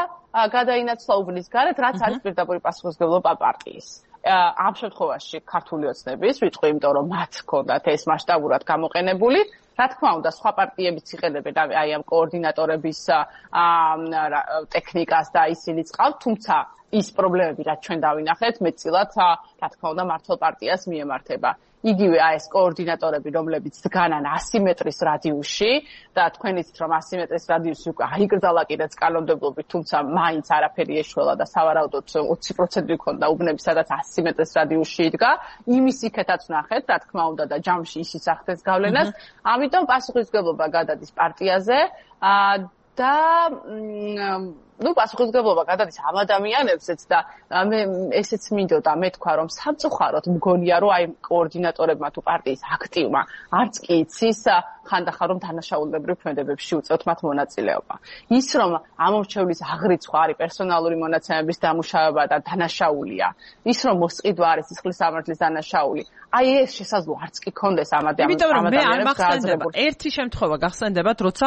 გადაინაცვლა უბნის გარეთ, რაც არის პირდაპირი პასუხისმგებლობა პარტიის. ამ შემთხვევაში ქართული ოცნების ვიტყვი, იმიტომ რომ მათ ჰქონდათ ეს მასშტაბურად გამოყენებული. რა თქმა უნდა, სხვა პარტიებიც იყენებენ აი ამ კოორდინატორების ტექნიკას და ისინიც ყავთ, თუმცა ის პრობლემები, რაც ჩვენ დავინახეთ, მეტწილად რა თქმა უნდა მართლ პარტიას მიემართება. იგივე აი ეს კოორდინატორები, რომლებიც დგანან ასი მეტრის რადიუსში და თქვენ იცით, რომ ასი მეტრის რადიუსი უკვე აიგრძალა კიდეც კანონმდებლობით, თუმცა მაინც არაფერი ეშველა და სავარაუდოდ ოცი პროცენტი ქონდა უბნები, სადაც ასი მეტრის რადიუსში იდგა. იმის იქეთაც ნახეთ, რა თქმა უნდა და ჯამში ისიც ახდენს გავლენას. ამიტომ პასუხისმგებლობა გადადის პარტიაზე და ну პასუხისმგებლობა გადადის ამ ადამიანებზეც და მე ესეც მინდოდა მე თქვა რომ სამწუხაროდ მგონია რომ აი კოორდინატორებმა თუ პარტიის აქტივმა არც კი იცის ხანდახან რომ დანაშაულებრივ ქმედებებში უწევთ მათ მონაწილეობა. ის რომ ამორჩევლის აღრიცხვა არის პერსონალური მონაცემების დამუშავება და დანაშაულია, ის რომ მოსყიდვა არის სისხლის სამართლის დანაშაული, აი ეს შესაძლო არც კი კონდეს ამ ადამიანებს. იმიტომ რომ მე არ მახსენდება ერთი შემთხვევა გახსენდებათ, როცა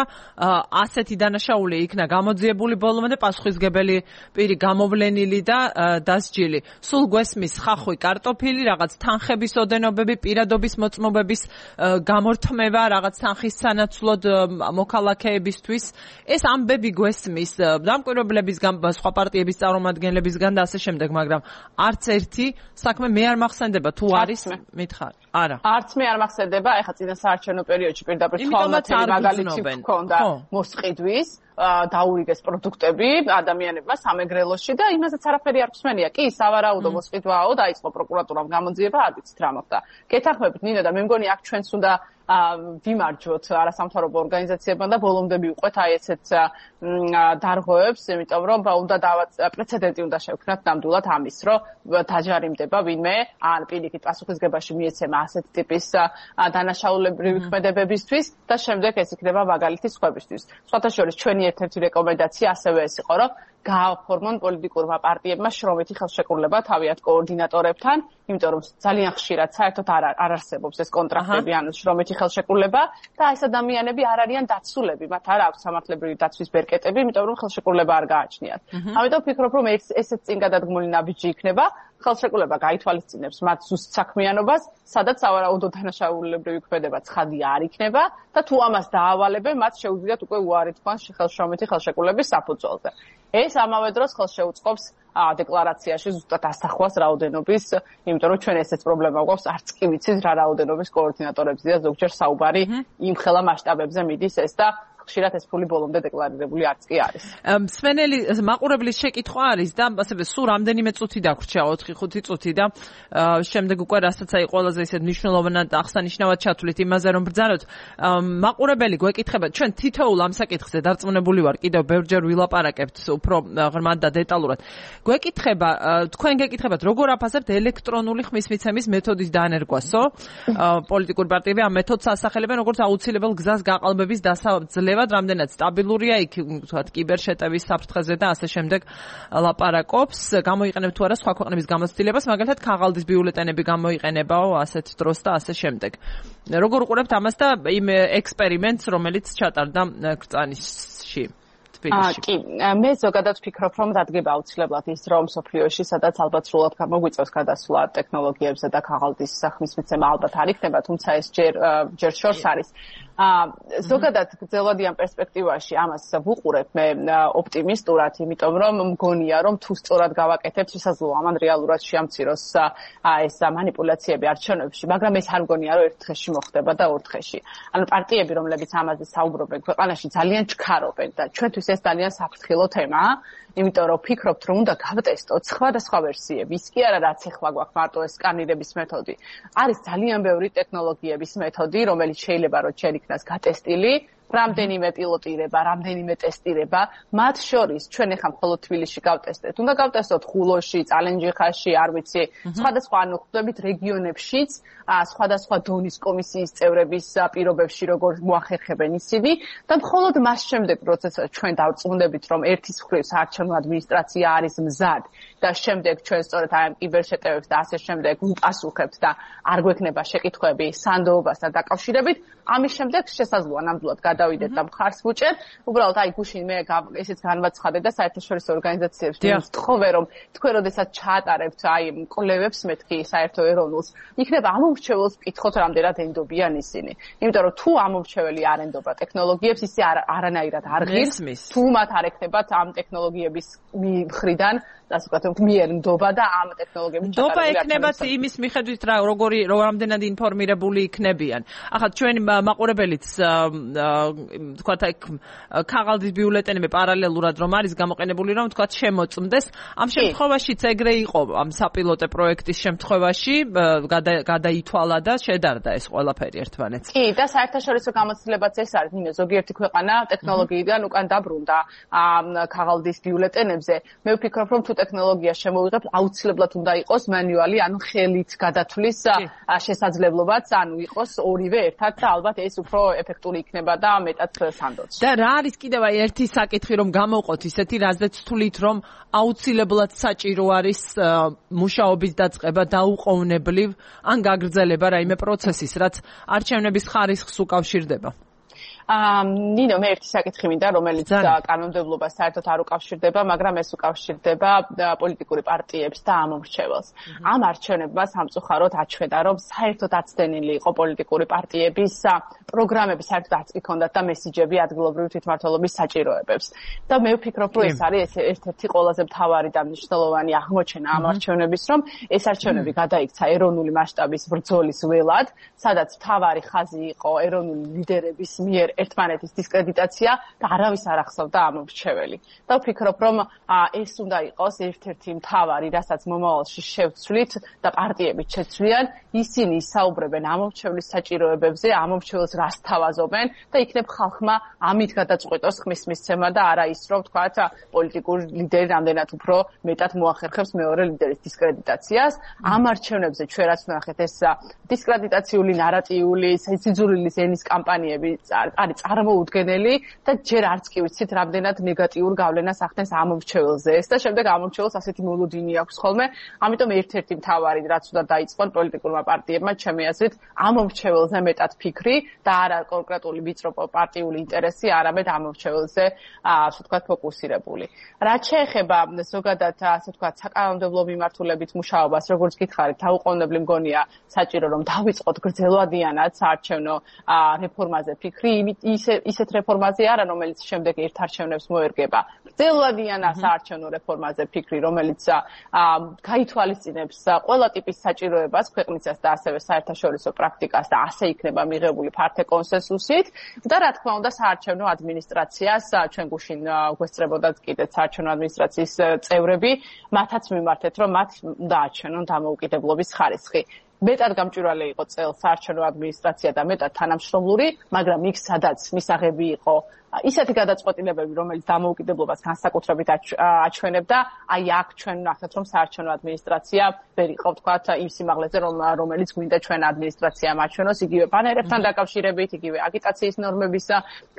ასეთი დანაშაული იქნა გამოძიებული ბოლომდე და პასუხისგებელი პირი გამოვლენილი და დასჯილი. სულ გვესმის ხახვი, კარტოფილი, რაღაც თანხების ოდენობები, პირადობის მოწმობების გამორთმევა, რაღაც თანხის სანაცვლოდ მოქალაქეებისთვის. ეს ამბები გვესმის დამკვირვებლებისგან, სხვა პარტიების წარმომადგენლებისგან და ასე შემდეგ, მაგრამ არც ერთი საქმე მე არ მახსენდება თუ არის მითხარ. არა. არც მე არ მახსენდება, ეხლა წინა საარჩევნო პერიოდში პირდაპირ თვალნათელი მაგალითი ჰქონდა მოსყიდვის, დაურიგეს პროდუქტები ადამიანებმა სამეგრელოში და იმასაც არაფერი არ ხსმენია. კი, სავარაუდო მოსყიდვაო, დაიწყო პროკურატურამ გამოძიება, არ ვიცით რა მოხდა. გეთანხმებით ნინო და მე მგონი აქ ჩვენც უნდა ვიმარჯვოთ არასამთავრობო ორგანიზაციებმა და ბოლომდე მივყვეთ აი ესეთ დარღვევებს, იმიტომ რომ უნდა პრეცედენტი უნდა შევქმნათ ნამდვილად ამის, რომ დაჯარიმდება ვინმე ან პირიქით პასუხისგებაში მიეცემა ასეთ ტიპის დანაშაულებრივი ქმედებებისთვის და შემდეგ ეს იქნება მაგალითი სხვებისთვის. სხვათა შორის ჩვენი ერთ-ერთი რეკომენდაცია ასევე ეს იყო, რომ გააფორმონ პოლიტიკურმა პარტიებმა შრომითი ხელშეკრულება თავიანთ კოორდინატორებთან, იმიტომ რომ ძალიან ხშირად საერთოდ არ არ არსებობს ეს კონტრაქტები, ანუ შრომითი ხელშეკრულება და ეს ადამიანები არ არიან დაცულები, მათ არ აქვს სამართლებრივი დაცვის ბერკეტები, იმიტომ რომ ხელშეკრულება არ გააჩნიათ. ამიტომ ვფიქრობ, რომ ესეც წინ გადადგმული ნაბიჯი იქნება, ხელშეკრულება გაითვალისწინებს მათ ზუსტ საქმიანობას, სადაც სავარაუდო დანაშაულებრივი ქმედება ცხადი არ იქნება და თუ ამას დაავალებენ, მათ შეუძლიათ უკვე უარი თქვან შრომითი ხელშეკრულების საფუძველზე. ეს ამავე დროს ხელს შეუწყობს დეკლარაციაში ზუსტად ასახვას რაოდენობის, იმიტომ რომ ჩვენ ესეც პრობლემა გვაქვს, არც კი ვიცით რა რაოდენობის კოორდინატორებზეა ზოგჯერ საუბარი, იმ ხელა მასშტაბებზე მიდის ეს და ხშირად ეს ფული ბოლომდე დეკლარირებული არც კი არის. მსმენელი მაყურებლის შეკითხვა არის და ასევე სულ რამდენიმე წუთი დაგვრჩა, ოთხი ხუთი წუთი და შემდეგ უკვე რასაც აი ყველაზე ისეთ მნიშვნელოვნად აღსანიშნავად ჩათვლით იმაზე რომ ბრძანოთ. მაყურებელი გვეკითხება, ჩვენ თითოეულ ამ საკითხზე დარწმუნებული ვარ, კიდევ ბევრჯერ ვილაპარაკებთ უფრო ღრმად და დეტალურად. გვეკითხება, თქვენ გეკითხებათ, როგორ აფასებთ ელექტრონული ხმისმიცემის მეთოდის დანერგვასო? პოლიტიკური პარტიები ამ მეთოდს ასახელებენ როგორც აუცილებელ გზას გაყალბების დასაძლევად, რამდენად სტაბილურია იქ, ვთქვათ, კიბერშეტევის საფრთხეზე და ასე შემდეგ ლაპარაკობს. გამოიყენებ თუ არა სხვა ქვეყნების გამოცდილებას, მაგალითად ქაღალდის ბიულეტენები გამოიყენებაო ასეთ დროს და ასე შემდეგ. როგორ უყურებთ ამას და იმ ექსპერიმენტს, რომელიც ჩატარდა ქრწანისში? კი, მე ზოგადად ვფიქრობ, რომ დადგება აუცილებლად ის რომ სოფლიოში, სადაც ალბათ სრულად გამოგვიწევს გადასვლა ტექნოლოგიებზე და ქაღალდის ხმისმიცემა ალბათ არ იქნება, თუმცა ეს ჯერ ჯერ შორს არის. ზოგადად გრძელვადიან პერსპექტივაში ამას ვუყურებ მე ოპტიმისტურად, იმიტომ რომ მგონია, რომ თუ სწორად გავაკეთებთ, შესაძლოა ამან რეალურად შეამციროს ეს манипуляციები არჩევნებში, მაგრამ ეს არ მგონია, რომ ერთ დღეში მოხდება და ორ დღეში. ანუ პარტიები, რომლებიც ამაზე საუბრობენ ქვეყანაში, ძალიან ჩქარობენ და ჩვენთვის ეს ძალიან საფრთხილო თემაა, იმიტომ რომ ვფიქრობთ, რომ უნდა გავტესტოთ სხვადასხვა ვერსიები. ის კი არა, რაც ახლა გვაქვს მარტო ეს სკანირების მეთოდი. არის ძალიან ბევრი ტექნოლოგიების მეთოდი, რომელიც შეიძლება რომ ჩვენ იქნას გატესტილი, რამდენიმე პილოტირება, რამდენიმე ტესტირება, მათ შორის ჩვენ ახლა მხოლოდ თბილისში გავტესტეთ. უნდა გავტესტოთ ხულოში, წალენჯიხაში, არ ვიცი, სხვადასხვა ანუ ხვდებით რეგიონებშიც, სხვადასხვა დონის კომისიის წევრების პირობებში როგორ მოახერხებენ ისინი და მხოლოდ მას შემდეგ, როდესაც ჩვენ დავწუნდებით, რომ ერთის მხრივ საარჩევნო ადმინისტრაცია არის მზად და შემდეგ ჩვენ სწორედ აი ამ კიბერშეტევებს და ასე შემდეგ ვუპასუხებთ და არ გვექნება შეკითხვები სანდოობასთან დაკავშირებით, ამის შემდეგ შესაძლოა ნამდვილად გადავიდეთ და მხარს ვუჭერთ. უბრალოდ აი გუშინ მე ესეც განვაცხადე და საერთაშორისო ორგანიზაციებს ვთხოვე, რომ თქვენ როდესაც ჩაატარებთ აი კვლევებს მეთქი საერთო ეროვნულს, იქნება ამომრჩეველს ვკითხოთ, რამდენად ენდობიან ისინი. იმიტომ რომ თუ ამომრჩეველი არ ენდობა ტექნოლოგიებს, ისე არანაირად არ ღირს, თუ მათ არ ექნებათ ამ ტექნოლოგიების მხრიდან ასე ვთქვათ, მიერ ნდობა და ამ ტექნოლოგიების ჩატარებული ნდობა ექნებათ იმის მიხედვით რა როგორი რამდენად ინფორმირებული იქნებიან. ახლა ჩვენი მაყურებელიც ვთქვათ აი ქაღალდის ბიულეტენები პარალელურად რომ არის გამოყენებული რომ ვთქვათ შემოწმდეს. ამ შემთხვევაშიც ეგრე იყო ამ საპილოტე პროექტის შემთხვევაში გადაითვალა და შედარდა ეს ყველაფერი ერთმანეთს. კი და საერთაშორისო გამოცდილებაც ეს არის, ნინო, ზოგიერთი ქვეყანა ტექნოლოგიიდან უკან დაბრუნდა ქაღალდის ბიულეტენებზე. მე ვფიქრობ, რომ თუ ტექნოლოგია შემოვიღებთ, აუცილებლად უნდა იყოს მანუალი, ანუ ხელით გადათვლის შესაძლებლობაც, ანუ იყოს ორივე ერთად და ალბათ ეს უფრო ეფექტური იქნება და მეტად სანდოც. და რა არის კიდევ ერთი საკითხი რომ გამოვყოთ ისეთი, რაზეც თვლით რომ აუცილებლად საჭირო არის მუშაობის დაწყება დაუყოვნებლივ ან გაგრძელება რაიმე პროცესის, რაც არჩევნების ხარისხს უკავშირდება. აა ნინო მე ერთი საკითხი მინდა რომელიც კანონმდებლობას საერთოდ არ უკავშირდება, მაგრამ ეს უკავშირდება პოლიტიკური პარტიებს და ამომრჩეველს. ამ არჩევნებმა სამწუხაროდ აჩვენა, რომ საერთოდ აცდენილი იყო პოლიტიკური პარტიების პროგრამები, საერთოდ არც კი ჰქონდათ და მესიჯები ადგილობრივი თვითმმართველობის საჭიროებებს. და მე ვფიქრობ, რომ ეს არის ერთ-ერთი ყველაზე მთავარი და მნიშვნელოვანი აღმოჩენა ამ არჩევნების, რომ ეს არჩევნები გადაიქცა ეროვნული მასშტაბის ბრძოლის ველად, სადაც მთავარი ხაზი იყო ეროვნული ლიდერების მიერ ერთმანეთის დისკრედიტაცია და არავის არ ახსოვდა ამომრჩეველი. და ვფიქრობ, რომ ეს უნდა იყოს ერთ-ერთი მთავარი, რასაც მომავალში შევცვლით და პარტიები შეცვლიან, ისინი ისაუბრებენ ამომრჩევლის საჭიროებებზე, ამომრჩეველს რას თავაზობენ და იქნებ ხალხმა ამით გადაწყვეტოს ხმის მისცემა და არა ის, რომ თქვათ პოლიტიკური ლიდერი რამდენად უფრო მეტად მოახერხებს მეორე ლიდერის დისკრედიტაციას. ამ არჩევნებზე ჩვენ რაც ვნახეთ, ეს დისკრედიტაციული ნარატიული, სიძულვილი ზენის კამპანიები არის წარმოუდგენელი და ჯერ არც კი ვიცით რამდენად ნეგატიურ გავლენას ახდენს ამომრჩეველზე ეს და შემდეგ ამომრჩეველს ასეთი მოლოდინი აქვს ხოლმე. ამიტომ ერთ-ერთი მთავარი რაც უნდა დაიწყონ პოლიტიკურმა პარტიებმა ჩემი აზრით ამომრჩეველზე მეტად ფიქრი და არა კონკრეტული ვიწრო პარტიული ინტერესი, არამედ ამომრჩეველზე ასე ვთქვათ ფოკუსირებული. რაც შეეხება ზოგადად ასე ვთქვათ საკანონმდებლო მიმართულებით მუშაობას, როგორც გითხარით, დაუყოვნებლი მგონია საჭირო რომ დავიწყოთ გრძელვადიანად საარჩევნო რეფორმაზე ფიქრი, ისე ისეთ რეფორმაზე არა, რომელიც შემდეგ ერთ არჩევნებს მოერგება. გრძელვადიან საარჩევნო რეფორმაზე ფიქრი, რომელიც გაითვალისწინებს ყველა ტიპის საჭიროებას ქვეყნისას და ასევე საერთაშორისო პრაქტიკას და ასე იქნება მიღებული ფართე კონსენსუსით და რა თქმა უნდა საარჩევნო ადმინისტრაციას ჩვენ გუშინ გვესწრებოდათ კიდეც საარჩევნო ადმინისტრაციის წევრები, მათაც მიმართეთ, რომ მათ უნდა აჩვენონ დამოუკიდებლობის ხარისხი. მეტად გამჭვირვალე იყო წელს საარჩევნო ადმინისტრაცია და მეტად თანამშრომლური, მაგრამ იქ სადაც მისაღები იყო ისეთი გადაწყვეტილებები, რომელიც დამოუკიდებლობას განსაკუთრებით აჩვენებდა, აი აქ ჩვენ ვნახეთ, რომ საარჩევნო ადმინისტრაცია ვერ იყო ვთქვათ იმ სიმაღლეზე, რომელიც გვინდა ჩვენ ადმინისტრაციამ აჩვენოს, იგივე ბანერებთან დაკავშირებით, იგივე აგიტაციის ნორმების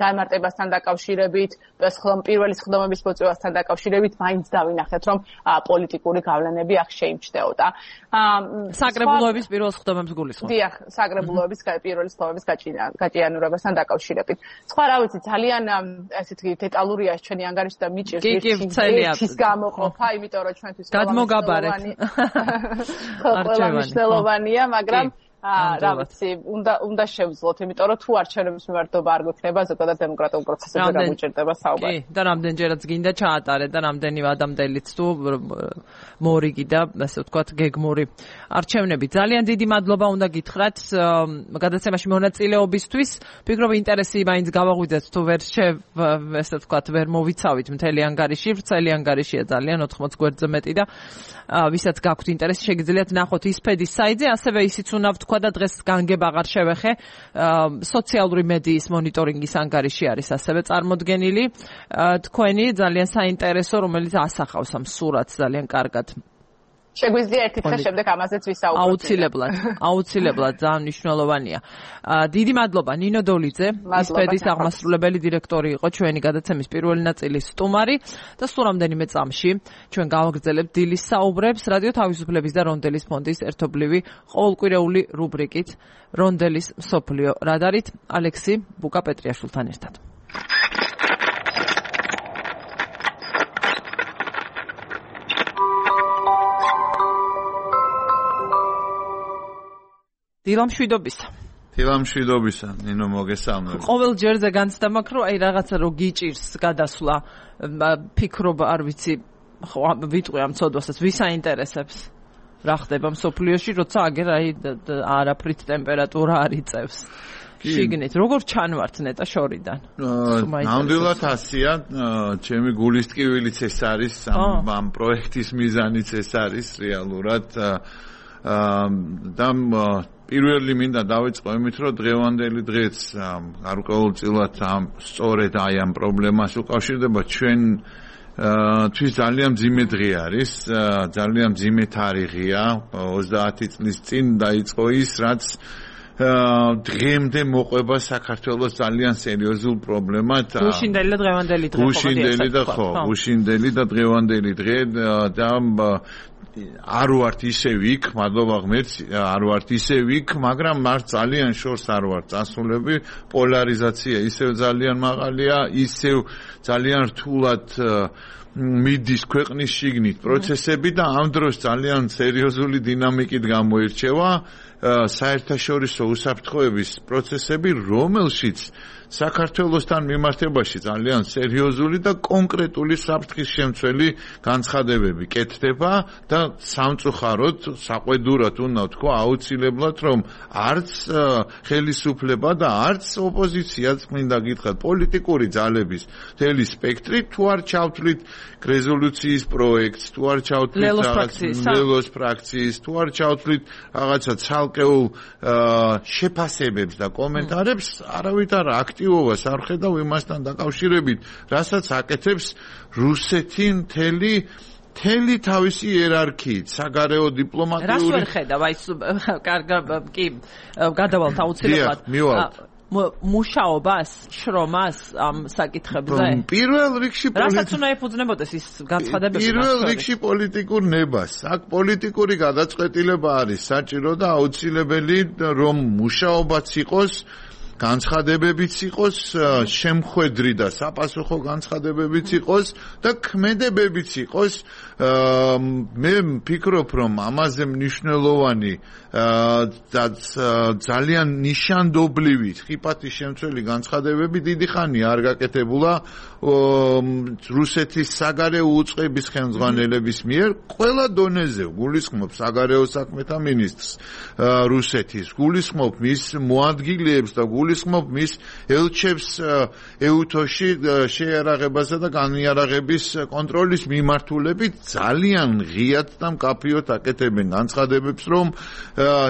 განმარტებასთან დაკავშირებით, პირველი სხდომების მოწევასთან დაკავშირებით, მაინც დავინახეთ, რომ პოლიტიკური გავლენები აქ შეიმჩნეოდა. საკრებულოების პირველ სხდომებს გულისხმობ. დიახ, საკრებულოების პირველი სხდომების გაჭიანურებასთან დაკავშირებით. სხვა რა ვიცი, ძალიან ასეთი დეტალურია ჩვენი ანგარიში და მიჭირს ერთის გამოყოფა, იმიტომ რომ ჩვენთვის გადმოგაბარეთ. ყველა მნიშვნელოვანია, მაგრამ რა ვიცი, უნდა უნდა შევძლოთ, იმიტომ რომ თუ არჩევნების მიმართება არ გვექნება ზოგადად დემოკრატიულ პროცესებზე გამუჭირდება საუბარი. კი, და რამდენჯერაც გინდა ჩაატარეთ და რამდენი ადამიანიც თუ მორიგი და ასე ვთქვათ გეგმური არჩევნები. ძალიან დიდი მადლობა უნდა გითხრათ გადაცემაში მონაწილეობისთვის. ვფიქრობ ინტერესი მაინც გავაღვიძეთ თუ ვერ ესე ვთქვათ ვერ მოვიცავით მთელი ანგარიში, ვრცელი ანგარიშია ძალიან ოთხმოც გვერდზე მეტი და ვისაც გაქვთ ინტერესი შეგიძლიათ ნახოთ ისფედის საიტზე, ასევე ისიც უნდა ვთქვა და დღეს განგებ აღარ შევეხე სოციალური მედიის მონიტორინგის ანგარიში არის ასევე წარმოდგენილი თქვენი ძალიან საინტერესო, რომელიც ასახავს ამ სურათს ძალიან კარგად. შეგვიძლია ერთი დღე შემდეგ ამაზეც ვისაუბროთ. აუცილებლად, აუცილებლად ძალიან მნიშვნელოვანია. დიდი მადლობა ნინო დოლიძე, ისფედის აღმასრულებელი დირექტორი იყო ჩვენი გადაცემის პირველი ნაწილის სტუმარი და სულ რამდენიმე წამში ჩვენ გავაგრძელებთ დილის საუბრებს რადიო თავისუფლების და რონდელის ფონდის ერთობლივი ყოველკვირეული რუბრიკით რონდელის მსოფლიო რადარით ალექსი ბუკა-პეტრიაშვილთან ერთად. დილამშვიდობისა. დილამშვიდობისა, ნინო მოგესალმებით. ყოველ ჯერზე განცდა მაქვს, რომ აი რაღაცა რო გიჭირს გადასვლა, ფიქრობა, არ ვიცი, ხო, ვიტყვი ამ ცოდვასაც, ვის აინტერესებს? რა ხდება მსოფლიოში, როცა აგერ აი არაფრით ტემპერატურა არ იწევს. შიგნით, როგორ ჩანვართ ნეტა შორიდან? ნამდვილად ასია, ჩემი გულის ტკივილიც ეს არის, ამ პროექტის მიზანიც ეს არის რეალურად და პირველი მინდა დავიწყო იმით, რომ დღევანდელი დღეც გარკვეულწილად ამ სწორედ აი ამ პრობლემას უკავშირდება ჩვენ თვის ძალიან მძიმე დღე არის, ძალიან მძიმე თარიღია, ოცდაათი წლის წინ დაიწყო ის, რაც დღემდე მოყვება საქართველოს ძალიან სერიოზულ პრობლემად. გუშინდელი და დღევანდელი დღე. გუშინდელი და ხო, გუშინდელი და დღევანდელი დღე და არ ვართ ისევ იქ, მადლობა ღმერთს, არ ვართ ისევ იქ, მაგრამ მართ ძალიან შორს არ ვართ წასულები, პოლარიზაცია ისევ ძალიან მაღალია, ისევ ძალიან რთულად მიდის ქვეყნის შიგნით პროცესები და ამ დროს ძალიან სერიოზული დინამიკით გამოირჩევა საერთაშორისო უსაფრთხოების პროცესები, რომელშიც საქართველოსთან მიმართებაში ძალიან სერიოზული და კონკრეტული საფრთხის შემცველი განცხადებები კეთდება და სამწუხაროდ, საყვედურად უნდა ვთქვა, აუცილებლად რომ არც ხელისუფლება და არც ოპოზიციაც მინდა გითხრათ, პოლიტიკური ძალების მთელი სპექტრი თუ არ ჩავთვლით რეზოლუციის პროექტს, თუ არ ჩავთვლით ლელოს ფრაქციის, თუ არ ჩავთვლით რაღაცა ცალკეულ შეფასებებს და კომენტარებს, არავითარ აქტივობას არ ხედავ იმასთან დაკავშირებით, რასაც აკეთებს რუსეთი მთელი მთელი თავისი იერარქიით, საგარეო დიპლომატიური. რას ვერ ხედავ, აი კარგ კი გადავალთ აუცილებლად. მუშაობას, შრომას ამ საკითხებზე? პირველ რიგში რასაც უნდა ეფუძნებოდეს ის განცხადებები. პირველ რიგში პოლიტიკურ ნებას. აქ პოლიტიკური გადაწყვეტილება არის საჭირო და აუცილებელი, რომ მუშაობაც იყოს, განცხადებებიც იყოს, შემხვედრი და საპასუხო განცხადებებიც იყოს და ქმედებებიც იყოს. მე ვფიქრობ, რომ ამაზე მნიშვნელოვანი და ძალიან ნიშანდობლივი ხიფათის შემცველი განცხადებები დიდი ხანია არ გაკეთებულა რუსეთის საგარეო უწყების ხელმძღვანელების მიერ ყველა დონეზე. გულისხმობ საგარეო საქმეთა მინისტრს რუსეთის, გულისხმობ მის მოადგილეებს და გულისხმობ მის ელჩებს ეუთოში შეიარაღებასა და განიარაღების კონტროლის მიმართულებით ძალიან ღიად და მკაფიოდ აკეთებენ განცხადებებს, რომ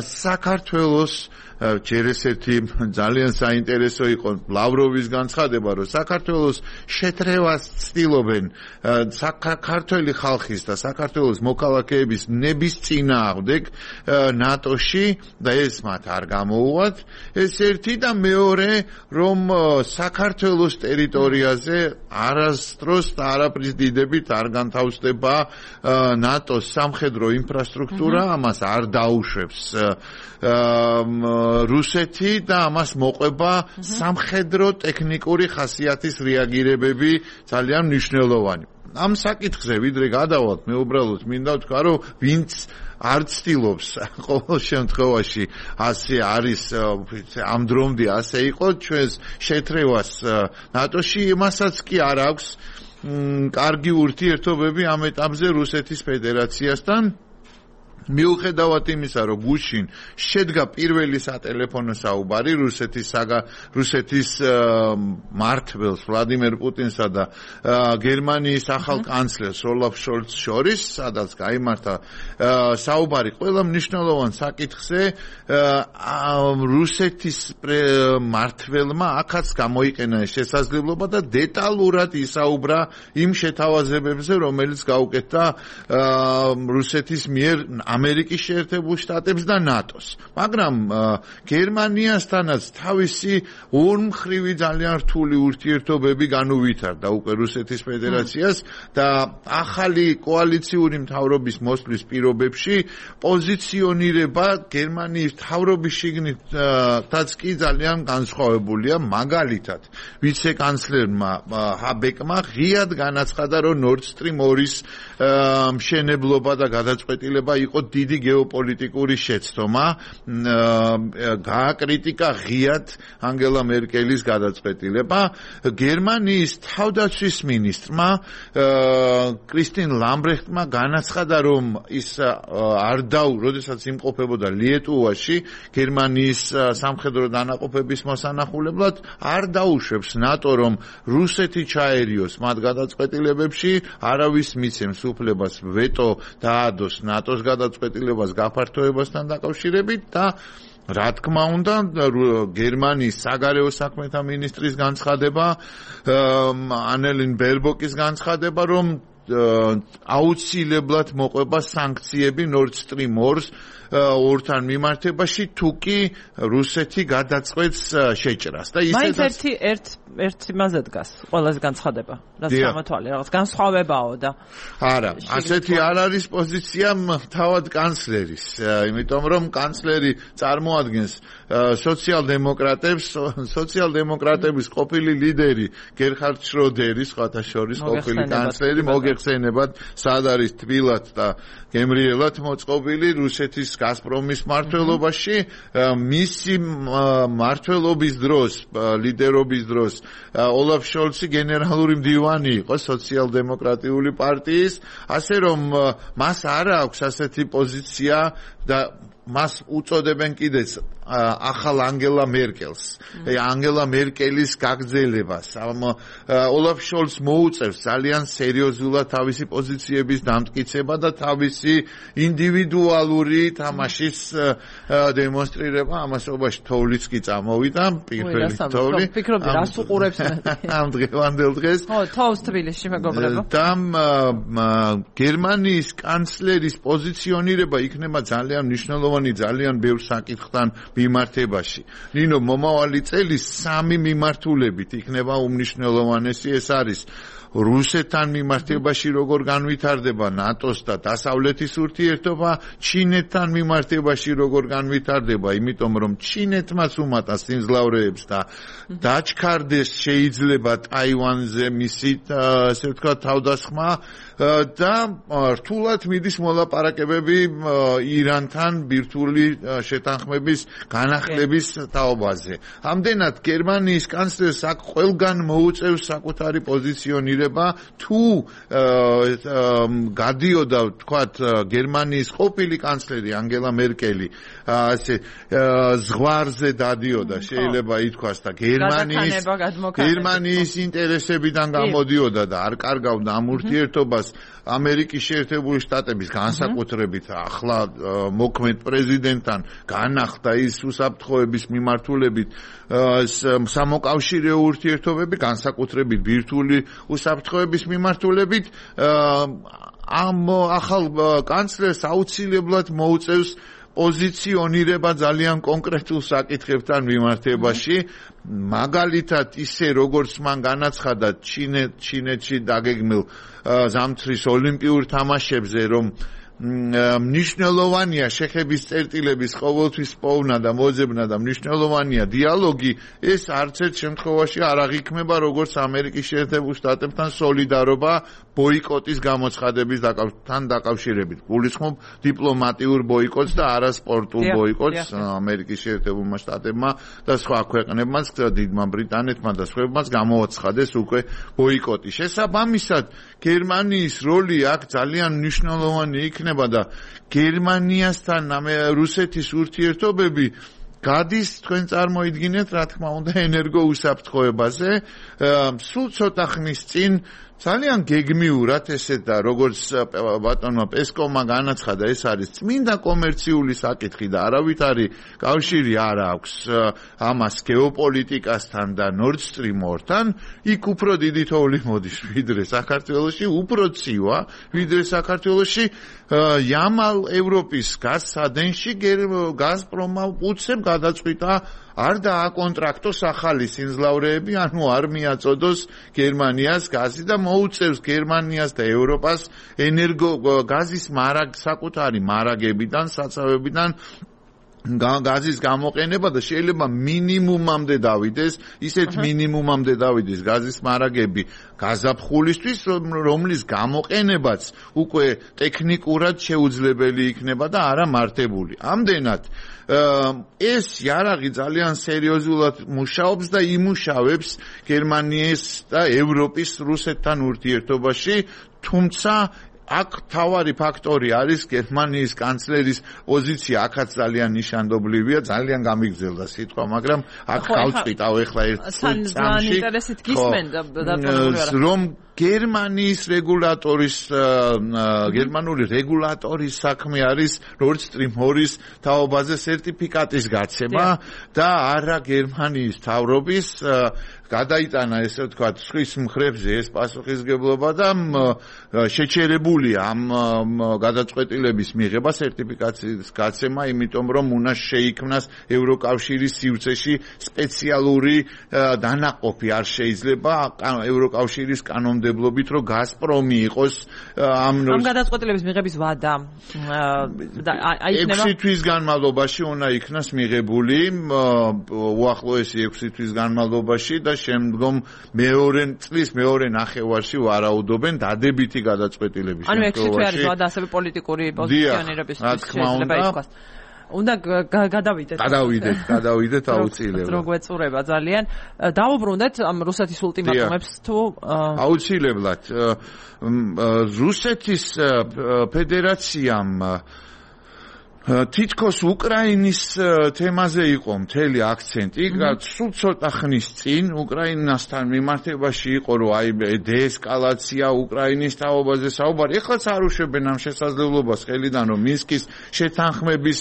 საქართველოს ჯერ ესეთი ძალიან საინტერესო იყო ლავროვის განცხადება, რომ საქართველოს შეთრევას ცდილობენ საქართველოს ხალხის და საქართველოს მოქალაქეების ნების წინააღმდეგ ნატოში და ეს მათ არ გამოუვათ. ეს ერთი და მეორე, რომ საქართველოს ტერიტორიაზე არასდროს და არაფრის დიდებით არ განთავსდება ნატოს სამხედრო ინფრასტრუქტურა, ამას არ დაუშვებს რუსეთი და ამას მოყვება სამხედრო ტექნიკური ხასიათის რეაგირებები ძალიან მნიშვნელოვანი. ამ საკითხზე ვიდრე გადავალთ, მე უბრალოდ მინდა ვთქვა, რომ ვინც არ ცდილობს ყოველ შემთხვევაში ასე არის ამ დრომდე ასე იყო ჩვენს შეთრევას ნატოში, იმასაც კი არ აქვს კარგი ურთიერთობები ამ ეტაპზე რუსეთის ფედერაციასთან. მიუხედავად იმისა, რომ გუშინ შედგა პირველი სატელეფონო საუბარი რუსეთის რუსეთის მმართველს ვლადიმერ პუტინსა და გერმანიის ახალ კანცლერს ოლაფ შოლცს შორის, სადაც გაიმართა საუბარი ყველა მნიშვნელოვან საკითხზე, რუსეთის მმართველმა აქაც გამოიყენა შესაძლებლობა და დეტალურად ისაუბრა იმ შეთავაზებებზე, რომელიც გაუკეთდა რუსეთის მიერ ამერიკის შეერთებულ შტატებს და ნატოს. მაგრამ გერმანიასთანაც თავისი ორმხრივი ძალიან რთული ურთიერთობები განუვითარდა უკვე რუსეთის ფედერაციას და ახალი კოალიციური მთავრობის მოსვლის პირობებში პოზიციონირება გერმანიის მთავრობის შიგნითაც კი ძალიან განსხვავებულია. მაგალითად, ვიცე-კანცლერმა ჰაბეკმა ღიად განაცხადა, რომ Nord Stream ორის მშენებლობა და გადაწყვეტილება იყო დიდი გეოპოლიტიკური შეცდომა. გააკრიტიკა ღიად ანგელა მერკელის გადაწყვეტილება. გერმანიის თავდაცვის მინისტრმა კრისტინ ლამბრეხტმა განაცხადა, რომ ის არ დაუ, როდესაც იმყოფებოდა ლიეტუვაში გერმანიის სამხედრო დანაყოფების მოსანახულებლად, არ დაუშვებს ნატო, რომ რუსეთი ჩაერიოს მათ გადაწყვეტილებებში, არავის მიცემს უფლებას ვეტო დაადოს ნატოს გადაწყვეტილებას გაფართოებასთან დაკავშირებით და რა თქმა უნდა, გერმანიის საგარეო საქმეთა მინისტრის განცხადება, ანელინ ბერბოკის განცხადება, რომ აუცილებლად მოყვება სანქციები Nord Stream ორს ორთან მიმართებაში, თუ კი რუსეთი გადაწყვეტს შეჭრას. და ისედაც მაინც ერთი ერთ ერთ იმაზე დგას ყველაზე განცხადება, რაც გამოთვალე, რაღაც განსხვავებაო და არა, ასეთი არ არის პოზიცია თავად კანცლერის, იმიტომ რომ კანცლერი წარმოადგენს სოციალ-დემოკრატებს, სოციალ-დემოკრატების ყოფილი ლიდერი გერჰარდ შროდერი, სხვათა შორის ყოფილი კანცლერი, მოგეხსენებათ, სად არის თბილად და გემრიელად მოწყობილი რუსეთის გაზპრომის მმართველობაში, მისი მმართველობის დროს, ლიდერობის დროს ოლაფ შოლცი გენერალური მდივანი იყო სოციალ-დემოკრატიული პარტიის, ასე რომ მას არ აქვს ასეთი პოზიცია და მას უწოდებენ კიდეც ახალ ანგელა მერკელს. ანგელა მერკელის გაგრძელებას. ოლაფ შოლცს მოუწევს ძალიან სერიოზულად თავისი პოზიციების დამტკიცება და თავისი ინდივიდუალური თამაშის დემონსტრირება. ამასობაში თოვლიც კი წამოვიდა, პირველი თოვლი. ფიქრობდი, რას უყურებს ამ დღევანდელ დღეს. ხო, თოვს თბილისში მეგობრებო. და გერმანიის კანცლერის პოზიციონირება იქნება ძალიან მნიშვნელოვანი, ძალიან ბევრ საკითხთან მიმართებაში. ნინო, მომავალი წელი სამი მიმართულებით იქნება უმნიშვნელოვანესი, ეს არის რუსეთთან მიმართებაში როგორ განვითარდება ნატოს და დასავლეთის ურთიერთობა, ჩინეთთან მიმართებაში როგორ განვითარდება, იმიტომ რომ ჩინეთმაც უმატა სიმძლავრეებს და დაჩქარდეს შეიძლება ტაივანზე მისი, ასე ვთქვათ, თავდასხმა და რთულად მიდის მოლაპარაკებები ირანთან ბირთვული შეთანხმების განახლების თაობაზე. ამდენად გერმანიის კანცლერს აქ ყველგან მოუწევს საკუთარი პოზიციონირება, თუ გადიოდა, ვთქვათ, გერმანიის ყოფილი კანცლერი ანგელა მერკელი ასე ზღვარზე დადიოდა, შეიძლება ითქვას და გერმანიის გერმანიის ინტერესებიდან გამოდიოდა და არ კარგავდა ამ ურთიერთობას ამერიკის შეერთებული შტატების განსაკუთრებით ახლა მოქმედ პრეზიდენტთან განახლდა ის უსაფრთხოების მიმართულებით სამოკავშირეო ურთიერთობები, განსაკუთრებით ბირთვული უსაფრთხოების მიმართულებით, ამ ახალ კანცლერს აუცილებლად მოუწევს პოზიციონირება ძალიან კონკრეტულ საკითხებთან მიმართებაში, მაგალითად ისე როგორც მან განაცხადა ჩინეთში დაგეგმილ ზამთრის ოლიმპიურ თამაშებზე, რომ მნიშვნელოვანია შეხების წერტილების ყოველთვის პოვნა და მოძებნა და მნიშვნელოვანია დიალოგი, ეს არც ერთ შემთხვევაში არ აღიქმება როგორც ამერიკის შეერთებულ შტატებთან სოლიდარობა ბოიკოტის გამოცხადების თან დაკავშირებით. გულისხმობ დიპლომატიურ ბოიკოტს და არა სპორტულ ბოიკოტს ამერიკის შეერთებულმა შტატებმა და სხვა ქვეყნებმაც, დიდმა ბრიტანეთმა და სხვებმაც გამოაცხადეს უკვე ბოიკოტი. შესაბამისად, გერმანიის როლი აქ ძალიან მნიშვნელოვანი იქნება და გერმანიასთან რუსეთის ურთიერთობები გადის, თქვენ წარმოიდგინეთ, რა თქმა უნდა, ენერგოუსაფრთხოებაზე. სულ ცოტა ხნის წინ ძალიან გეგმიურად ესე და როგორც ბატონმა პესკოვმა განაცხადა, ეს არის წმინდა კომერციული საკითხი და არავითარი კავშირი არ აქვს ამას გეოპოლიტიკასთან და Nord Stream ორთან, იქ უფრო დიდი თოვლი მოდის ვიდრე საქართველოში, უფრო ცივა ვიდრე საქართველოში. ямალ ევროპის გაზსადენში გაზპრომმა უცებ გადაწყვიტა არ დააკონტრაქტოს ახალი სიმძლავრეები, ანუ არ მიაწოდოს გერმანიას გაზი და მოუწევს გერმანიას და ევროპას ენერგო გაზის მარაგ საკუთარი მარაგებიდან, საცავებიდან გაზის გამოყენება და შეიძლება მინიმუმამდე დავიდეს, ისეთ მინიმუმამდე დავიდეს გაზის მარაგები გაზაფხულისთვის, რომლის გამოყენებაც უკვე ტექნიკურად შეუძლებელი იქნება და არა მართებული. ამდენად ეს იარაღი ძალიან სერიოზულად მუშაობს და იმუშავებს გერმანიის და ევროპის რუსეთთან ურთიერთობაში, თუმცა აქ თავარი ფაქტორი არის გერმანიის კანცლერის პოზიცია, აქაც ძალიან ნიშანდობლივია, ძალიან გამიგრძელდა სიტყვა, მაგრამ აქ გავწყვიტავ ეხლა ერთ წამში, რომ გერმანიის რეგულატორის გერმანული რეგულატორის საქმე არის Nord Stream ორი-ის თაობაზე სერტიფიკატის გაცემა და არა გერმანიის მთავრობის გადაიტანა ესე ვთქვათ სხვის მხრებზე ეს პასუხისგებლობა და შეჩერებულია ამ გადაწყვეტილების მიღება სერტიფიკაციის გაცემა, იმიტომ რომ უნდა შეიქმნას ევროკავშირის სივრცეში სპეციალური დანაყოფი არ შეიძლება ევროკავშირის კანონმდებლობით რომ გაზპრომი იყოს ამ ამ გადაწყვეტილების მიღების ვადა ექვსი თვის განმავლობაში უნდა იქნას მიღებული უახლოესი ექვსი თვის განმავლობაში და შემდგომ მეორე წლის მეორე ნახევარში ვარაუდობენ დადებითი გადაწყვეტილების ანუ ექვსი თვე არის ვადა ასევე პოლიტიკური პოზიციონირების შეიძლება ითქვას უნდა გადავიდეთ გადავიდეთ გადავიდეთ აუცილებლად რო გვეწურება ძალიან დავუბრუნდეთ ამ რუსეთის ულტიმატუმებს თუ აუცილებლად რუსეთის ფედერაციამ თითქოს უკრაინის თემაზე იყო მთელი აქცენტი, სულ ცოტა ხნის წინ უკრაინასთან მიმართებაში იყო რომ აი დეესკალაცია უკრაინის თაობაზე საუბარი. ეხლაც არ უშვებენ ამ შესაძლებლობას ხელიდან რომ მინსკის შეთანხმების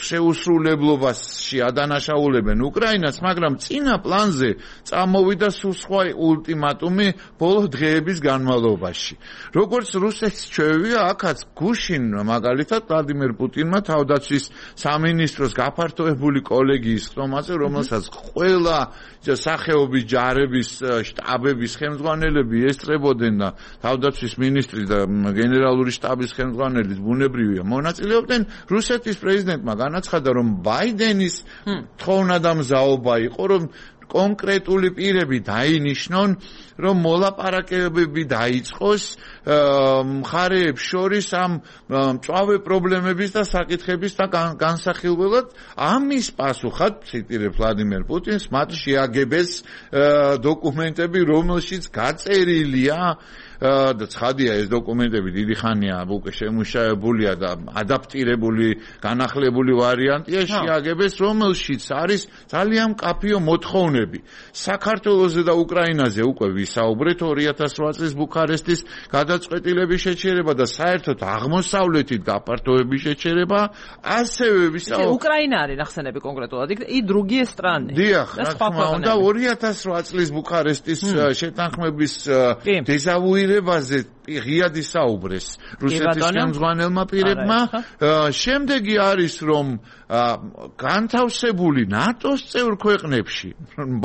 შეუსრულებლობაში ადანაშაულებენ უკრაინას, მაგრამ წინა პლანზე წამოვიდა სულ სხვა ულტიმატუმი ბოლო დღეების განმავლობაში. როგორც რუსეთს ჩვევია, აქაც გუშინ მაგალითად ვლადიმერ პუტინმა თავდაცვის სამინისტროს გაფართოებული კოლეგიის ხდომაზე, რომელსაც ყველა სახეობის ჯარების შტაბების ხელმძღვანელები ესწრებოდნენ და თავდაცვის მინისტრი და გენერალური შტაბის ხელმძღვანელი ბუნებრივია მონაწილეობდნენ, რუსეთის პრეზიდენტმა განაცხადა, რომ ბაიდენის თხოვნა და მზაობა იყო, რომ კონკრეტული პირები დაინიშნონ, რომ მოლაპარაკებები დაიწყოს მხარეებს შორის ამ მწვავე პრობლემების და საკითხების და განსახილველად. ამის პასუხად, ციტირებ ვლადიმერ პუტინს, მათ შეაგებეს დოკუმენტები, რომელშიც გაწერილია და ცხადია ეს დოკუმენტები დიდი ხანია უკვე შემუშავებულია და ადაპტირებული განახლებული ვარიანტია შეაგებეს, რომელშიც არის ძალიან მკაფიო მოთხოვნები. საქართველოზე და უკრაინაზე უკვე ვისაუბრეთ ორი ათას რვა წლის ბუქარესტის გადაწყვეტილების შეჩერება და საერთოდ აღმოსავლეთით გაფართოების შეჩერება, ასევე ვისაუბრეთ უკრაინა არის ნახსენები კონკრეტულად იქ и другие страны. დიახ, რა თქმა უნდა ორი ათას რვა წლის ბუქარესტის შეთანხმების დეზავუირებაზე ღიად ისაუბრეს რუსეთის ხელმძღვანელმა პირებმა. შემდეგი არის რომ განთავსებული ნატოს წევრ ქვეყნებში,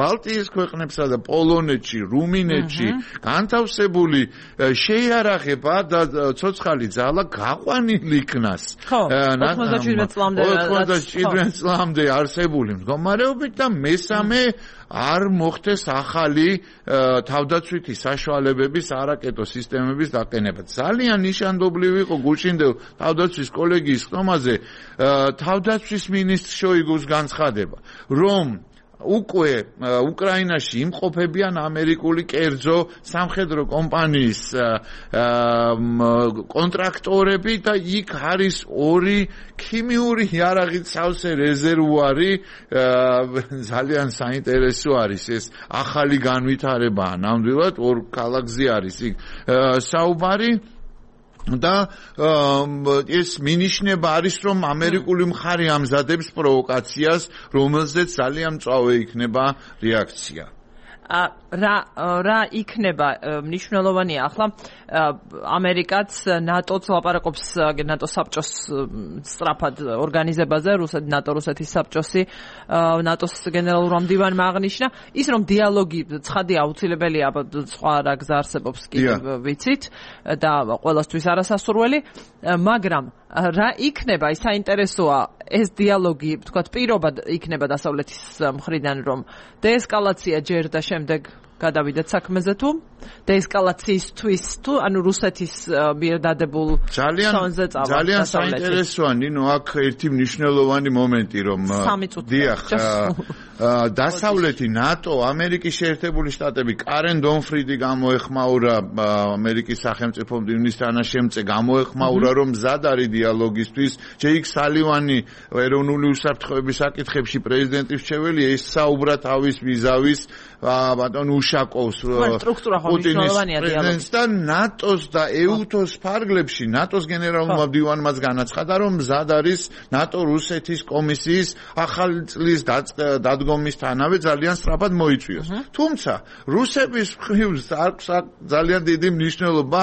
ბალტიის ქვეყნებსა და პოლონეთში, რუმინეთში განთავსებული შეიარაღება და ცოცხალი ძალა გაყვანილი იქნას ოცდაშვიდმეტ წლამდე არსებული მდგომარეობით და მესამე არ მოხდეს ახალი თავდაცვითი საშუალებების არაკეტო სისტემების დაყენება. ძალიან ნიშანდობლივი იყო გუშინდელ თავდაცვის კოლეგიის ხდომაზე თავდაცვის მინისტრ შოიგუს განცხადება, რომ უკვე უკრაინაში იმყოფებიან ამერიკული კერძო სამხედრო კომპანიის კონტრაქტორები და იქ არის ორი ქიმიური იარაღით სავსე რეზერვუარი. ძალიან საინტერესო არის ეს ახალი განვითარებაა. ნამდვილად ორ ქალაქზე არის იქ საუბარი. და ეს მინიშნება არის, რომ ამერიკული მხარე ამზადებს პროვოკაციას, რომელზეც ძალიან მწვავე იქნება რეაქცია. რა რა იქნება მნიშვნელოვანია ახლა ამერიკაც ნატოც ლაპარაკობს ნატო საბჭოს სწრაფად ორგანიზებაზე, რუსეთ ნატო რუსეთის საბჭოსი ნატოს გენერალურმა მდივანმა აღნიშნა ის რომ დიალოგი ცხადია აუცილებელია სხვა რა გზა არსებობს კიდევ ვიცით და ყველასთვის არასასურველი, მაგრამ რა იქნება ის საინტერესოა ეს დიალოგი თქვათ პირობად იქნება დასავლეთის მხრიდან რომ დეესკალაცია ჯერ და შემდეგ გადავიდეთ საქმეზე თუ დეესკალაციისთვის თუ ანუ რუსეთის მიერ დადებულ ფონზე წავა. ძალიან საინტერესოა ნინო აქ ერთი მნიშვნელოვანი მომენტი რომ დიახ დასავლეთი ნატო ამერიკის შეერთებული შტატები კარენ დონფრიდი გამოეხმაურა ამერიკის სახელმწიფო მდივნის თანაშემწე გამოეხმაურა რომ მზად არის დიალოგისთვის. ჯეიკ სალივანი ეროვნული უსაფრთხოების საკითხებში პრეზიდენტის მრჩეველი ესაუბრა თავის ვიზავის ბატონ უშაკოვს სტრუქტურა ხო მნიშვნელოვანია დიალოგის და ნატოს და ეუთოს ფარგლებში ნატოს გენერალურმა მდივანმაც განაცხადა რომ მზად არის ნატო რუსეთის კომისიის ახალი წლის დადგომისთანავე ძალიან სწრაფად მოიწვიოს. თუმცა რუსების მხრივ აქვს ძალიან დიდი მნიშვნელობა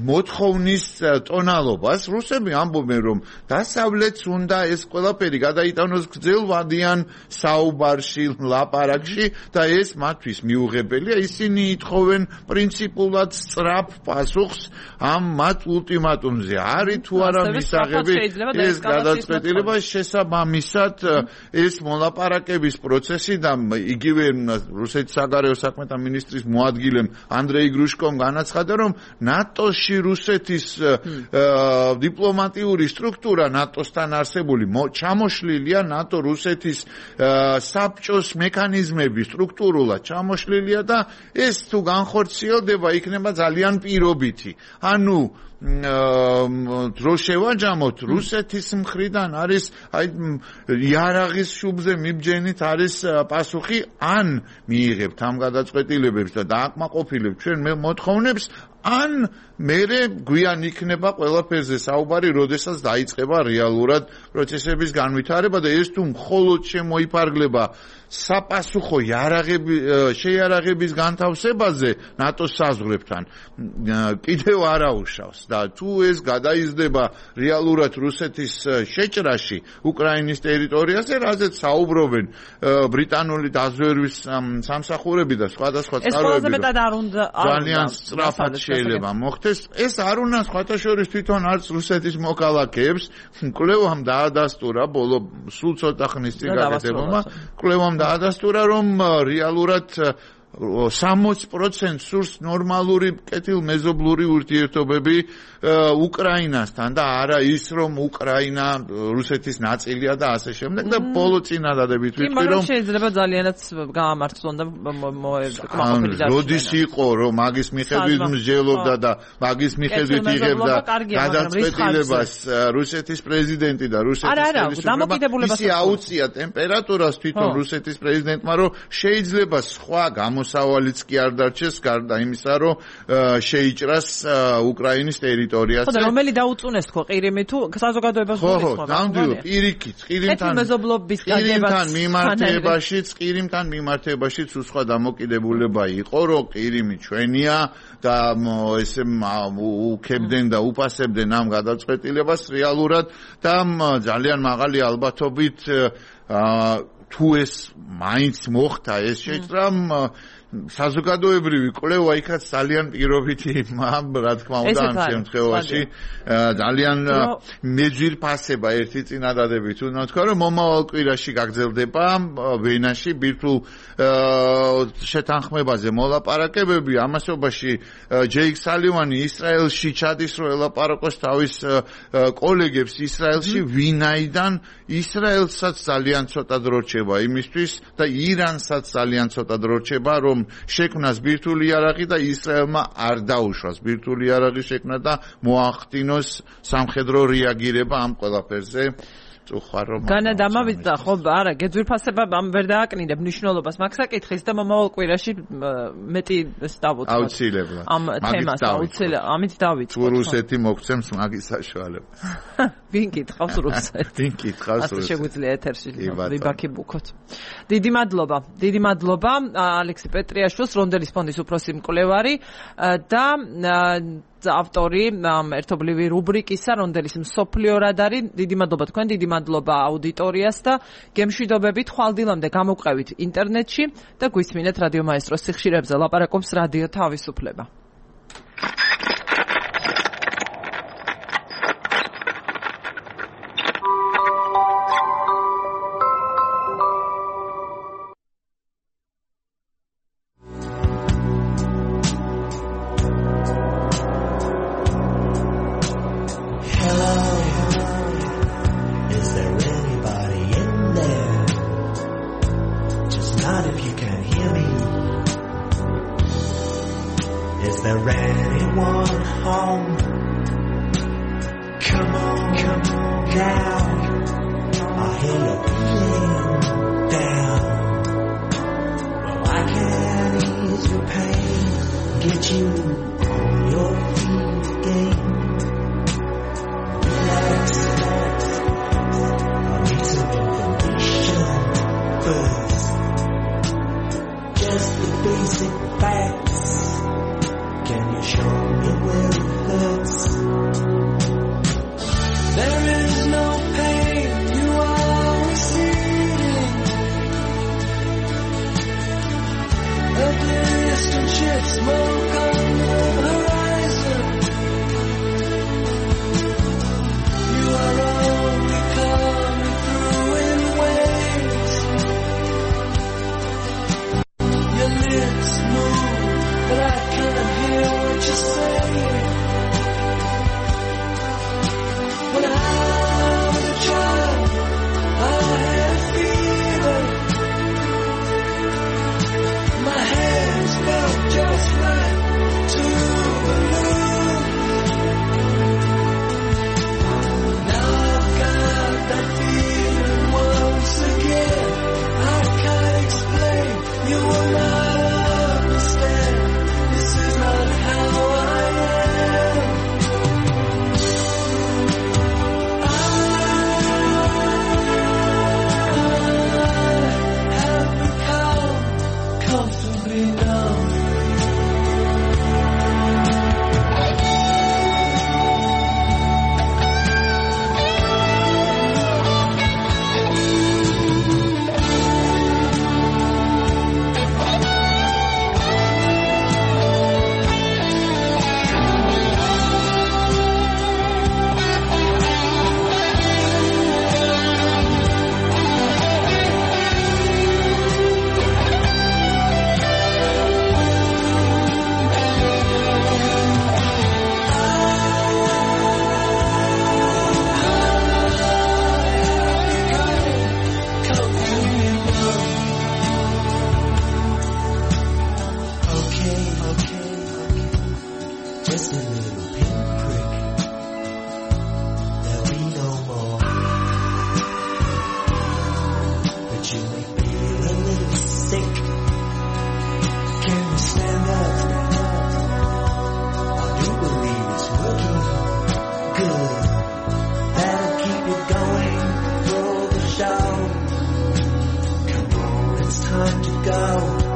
მოთხოვნის ტონალობას. რუსები ამბობენ რომ დასავლეთს უნდა ეს ყველაფერი გადაიტანოს გრძელვადიან საუბარში, ლაპარაკში და ეს მათთვის მიუღებელია. ისინი ითხოვენ პრინციპულად სწრაფ პასუხს ამ მათ ულტიმატუმზე. არის თუ არა მისაღები ეს გადაწყვეტილება შესაბამისად ეს მოლაპარაკების პროცესი და იგივე რუსეთის საგარეო საქმეთა მინისტრის მოადგილემ ანდრეი გრუშკომ განაცხადა რომ ნატოში რუსეთის დიპლომატიური სტრუქტურა ნატოსთან არსებული ჩამოშლილია ნატო რუსეთის საბჭოს მექანიზმები სტრუქტურულად ჩამოშლილია და ეს თუ განხორციელდება იქნება ძალიან პირობითი. ანუ დრო შევაჯამოთ რუსეთის მხრიდან არის აი იარაღის შუბზე მიბჯენით არის პასუხი ან მიიღებთ ამ გადაწყვეტილებებს და დააკმაყოფილებთ ჩვენ მოთხოვნებს ან მერე გვიან იქნება ყველაფერზე საუბარი, როდესაც დაიწყება რეალურად პროცესების განვითარება და ეს თუ მხოლოდ შემოიფარგლება საპასუხო იარაღები შეიარაღების განთავსებაზე ნატოს საზღვრებთან კიდევ არაუშავს და თუ ეს გადაიზრდება რეალურად რუსეთის შეჭრაში უკრაინის ტერიტორიაზე, რაზეც საუბრობენ ბრიტანული დაზვერვის სამსახურები და სხვადასხვა წყაროები, ძალიან სწრაფად შეიძლება მოხდეს. ეს არ უნდა სხვათა შორის თვითონ არც რუსეთის მოქალაქეებს კვლევამ დაადასტურა ბოლო სულ ცოტა ხნის წინ გაკეთებულმა კვლევამ დაადასტურა რომ რეალურად სამოცი პროცენტს სურს ნორმალური კეთილმეზობლური ურთიერთობები უკრაინასთან და არა ის რომ უკრაინა რუსეთის ნაწილია და ასე შემდეგ და ბოლო წინადადებით ვიტყვი რომ შეიძლება ძალიანაც გაამართლონ და მოეკმაყოფილი და როდის იყო რომ მაგის მიხედვით მსჯელობდა და მაგის მიხედვით იღებდა გადაწყვეტილებას რუსეთის პრეზიდენტი და რუსეთის ხელისუფლება ისი აუწია ტემპერატურას თვითონ რუსეთის პრეზიდენტმა რომ შეიძლება სხვა მოსავალიც კი არ დარჩეს გარდა იმისა, რომ შეიჭრას უკრაინის ტერიტორიაზე. ხო და რომელი დაუწუნეს თქო ყირიმი თუ საზოგადოებას გულისხმობა? ხო, ნამდვილად, პირიქით, ყირიმთან მეზობლობის გაგებას მიმართებაშიც, ყირიმთან მიმართებაშიც უსხვა დამოკიდებულება იყო, რომ ყირიმი ჩვენია და ესე უქებდნენ და უპასებდნენ ამ გადაწყვეტილებას რეალურად და ძალიან მაღალი ალბათობით თუ ეს მაინც მოხდა ეს შეჭრა საზოგადოებრივი კვლევა იქაც ძალიან პირობითი რა თქმა უნდა ამ შემთხვევაში ძალიან მეძვირფასება ერთი წინადადებით უნდა თქვა რომ მომავალ კვირაში გაგრძელდება ვენაში ბირთვულ შეთანხმებაზე მოლაპარაკებები ამასობაში ჯეიკ სალივანი ისრაელში ჩადის რომ ელაპარაკოს თავის კოლეგებს ისრაელში ვინაიდან ისრაელსაც ძალიან ცოტა დრო რჩება იმისთვის და ირანსაც ძალიან ცოტა დრო რჩება რომ შექმნას ბირთვული იარაღი და ისრაელმა არ დაუშვას ბირთვული იარაღის შექმნა და მოახდინოს სამხედრო რეაგირება ამ ყველაფერზე. განადამავიდა ხო არა გეძვირფასება ამ ვერ დააკნინებ მნიშვნელობას მაგ საკითხის და მომავალ კვირაში მეტი დავუწყოთ აუცილებლად ამ თემას აუცილებლად ამით დავიწყოთ თუ რუსეთი მოგცემს მაგის საშუალებას ვინ კითხავს რუსეთს ვინ კითხავს რუსეთს ასე შეგვიძლია ეთერში ვიბაქი ბუქოთ დიდი მადლობა დიდი მადლობა ალექსი პეტრიაშვილს რონდელის ფონდის უფროსი მკვლევარი და ავტორი ერთობლივი რუბრიკისა რონდელის მსოფლიო რადარი დიდი მადლობა თქვენ დიდი მადლობა აუდიტორიას და გემშვიდობებით ხვალდილამდე გამოვყევით ინტერნეტში და გვისმინეთ რადიო მაესტროს სიხშირებზე ლაპარაკობს რადიო თავისუფლება. Down. Well, I can't Time to go.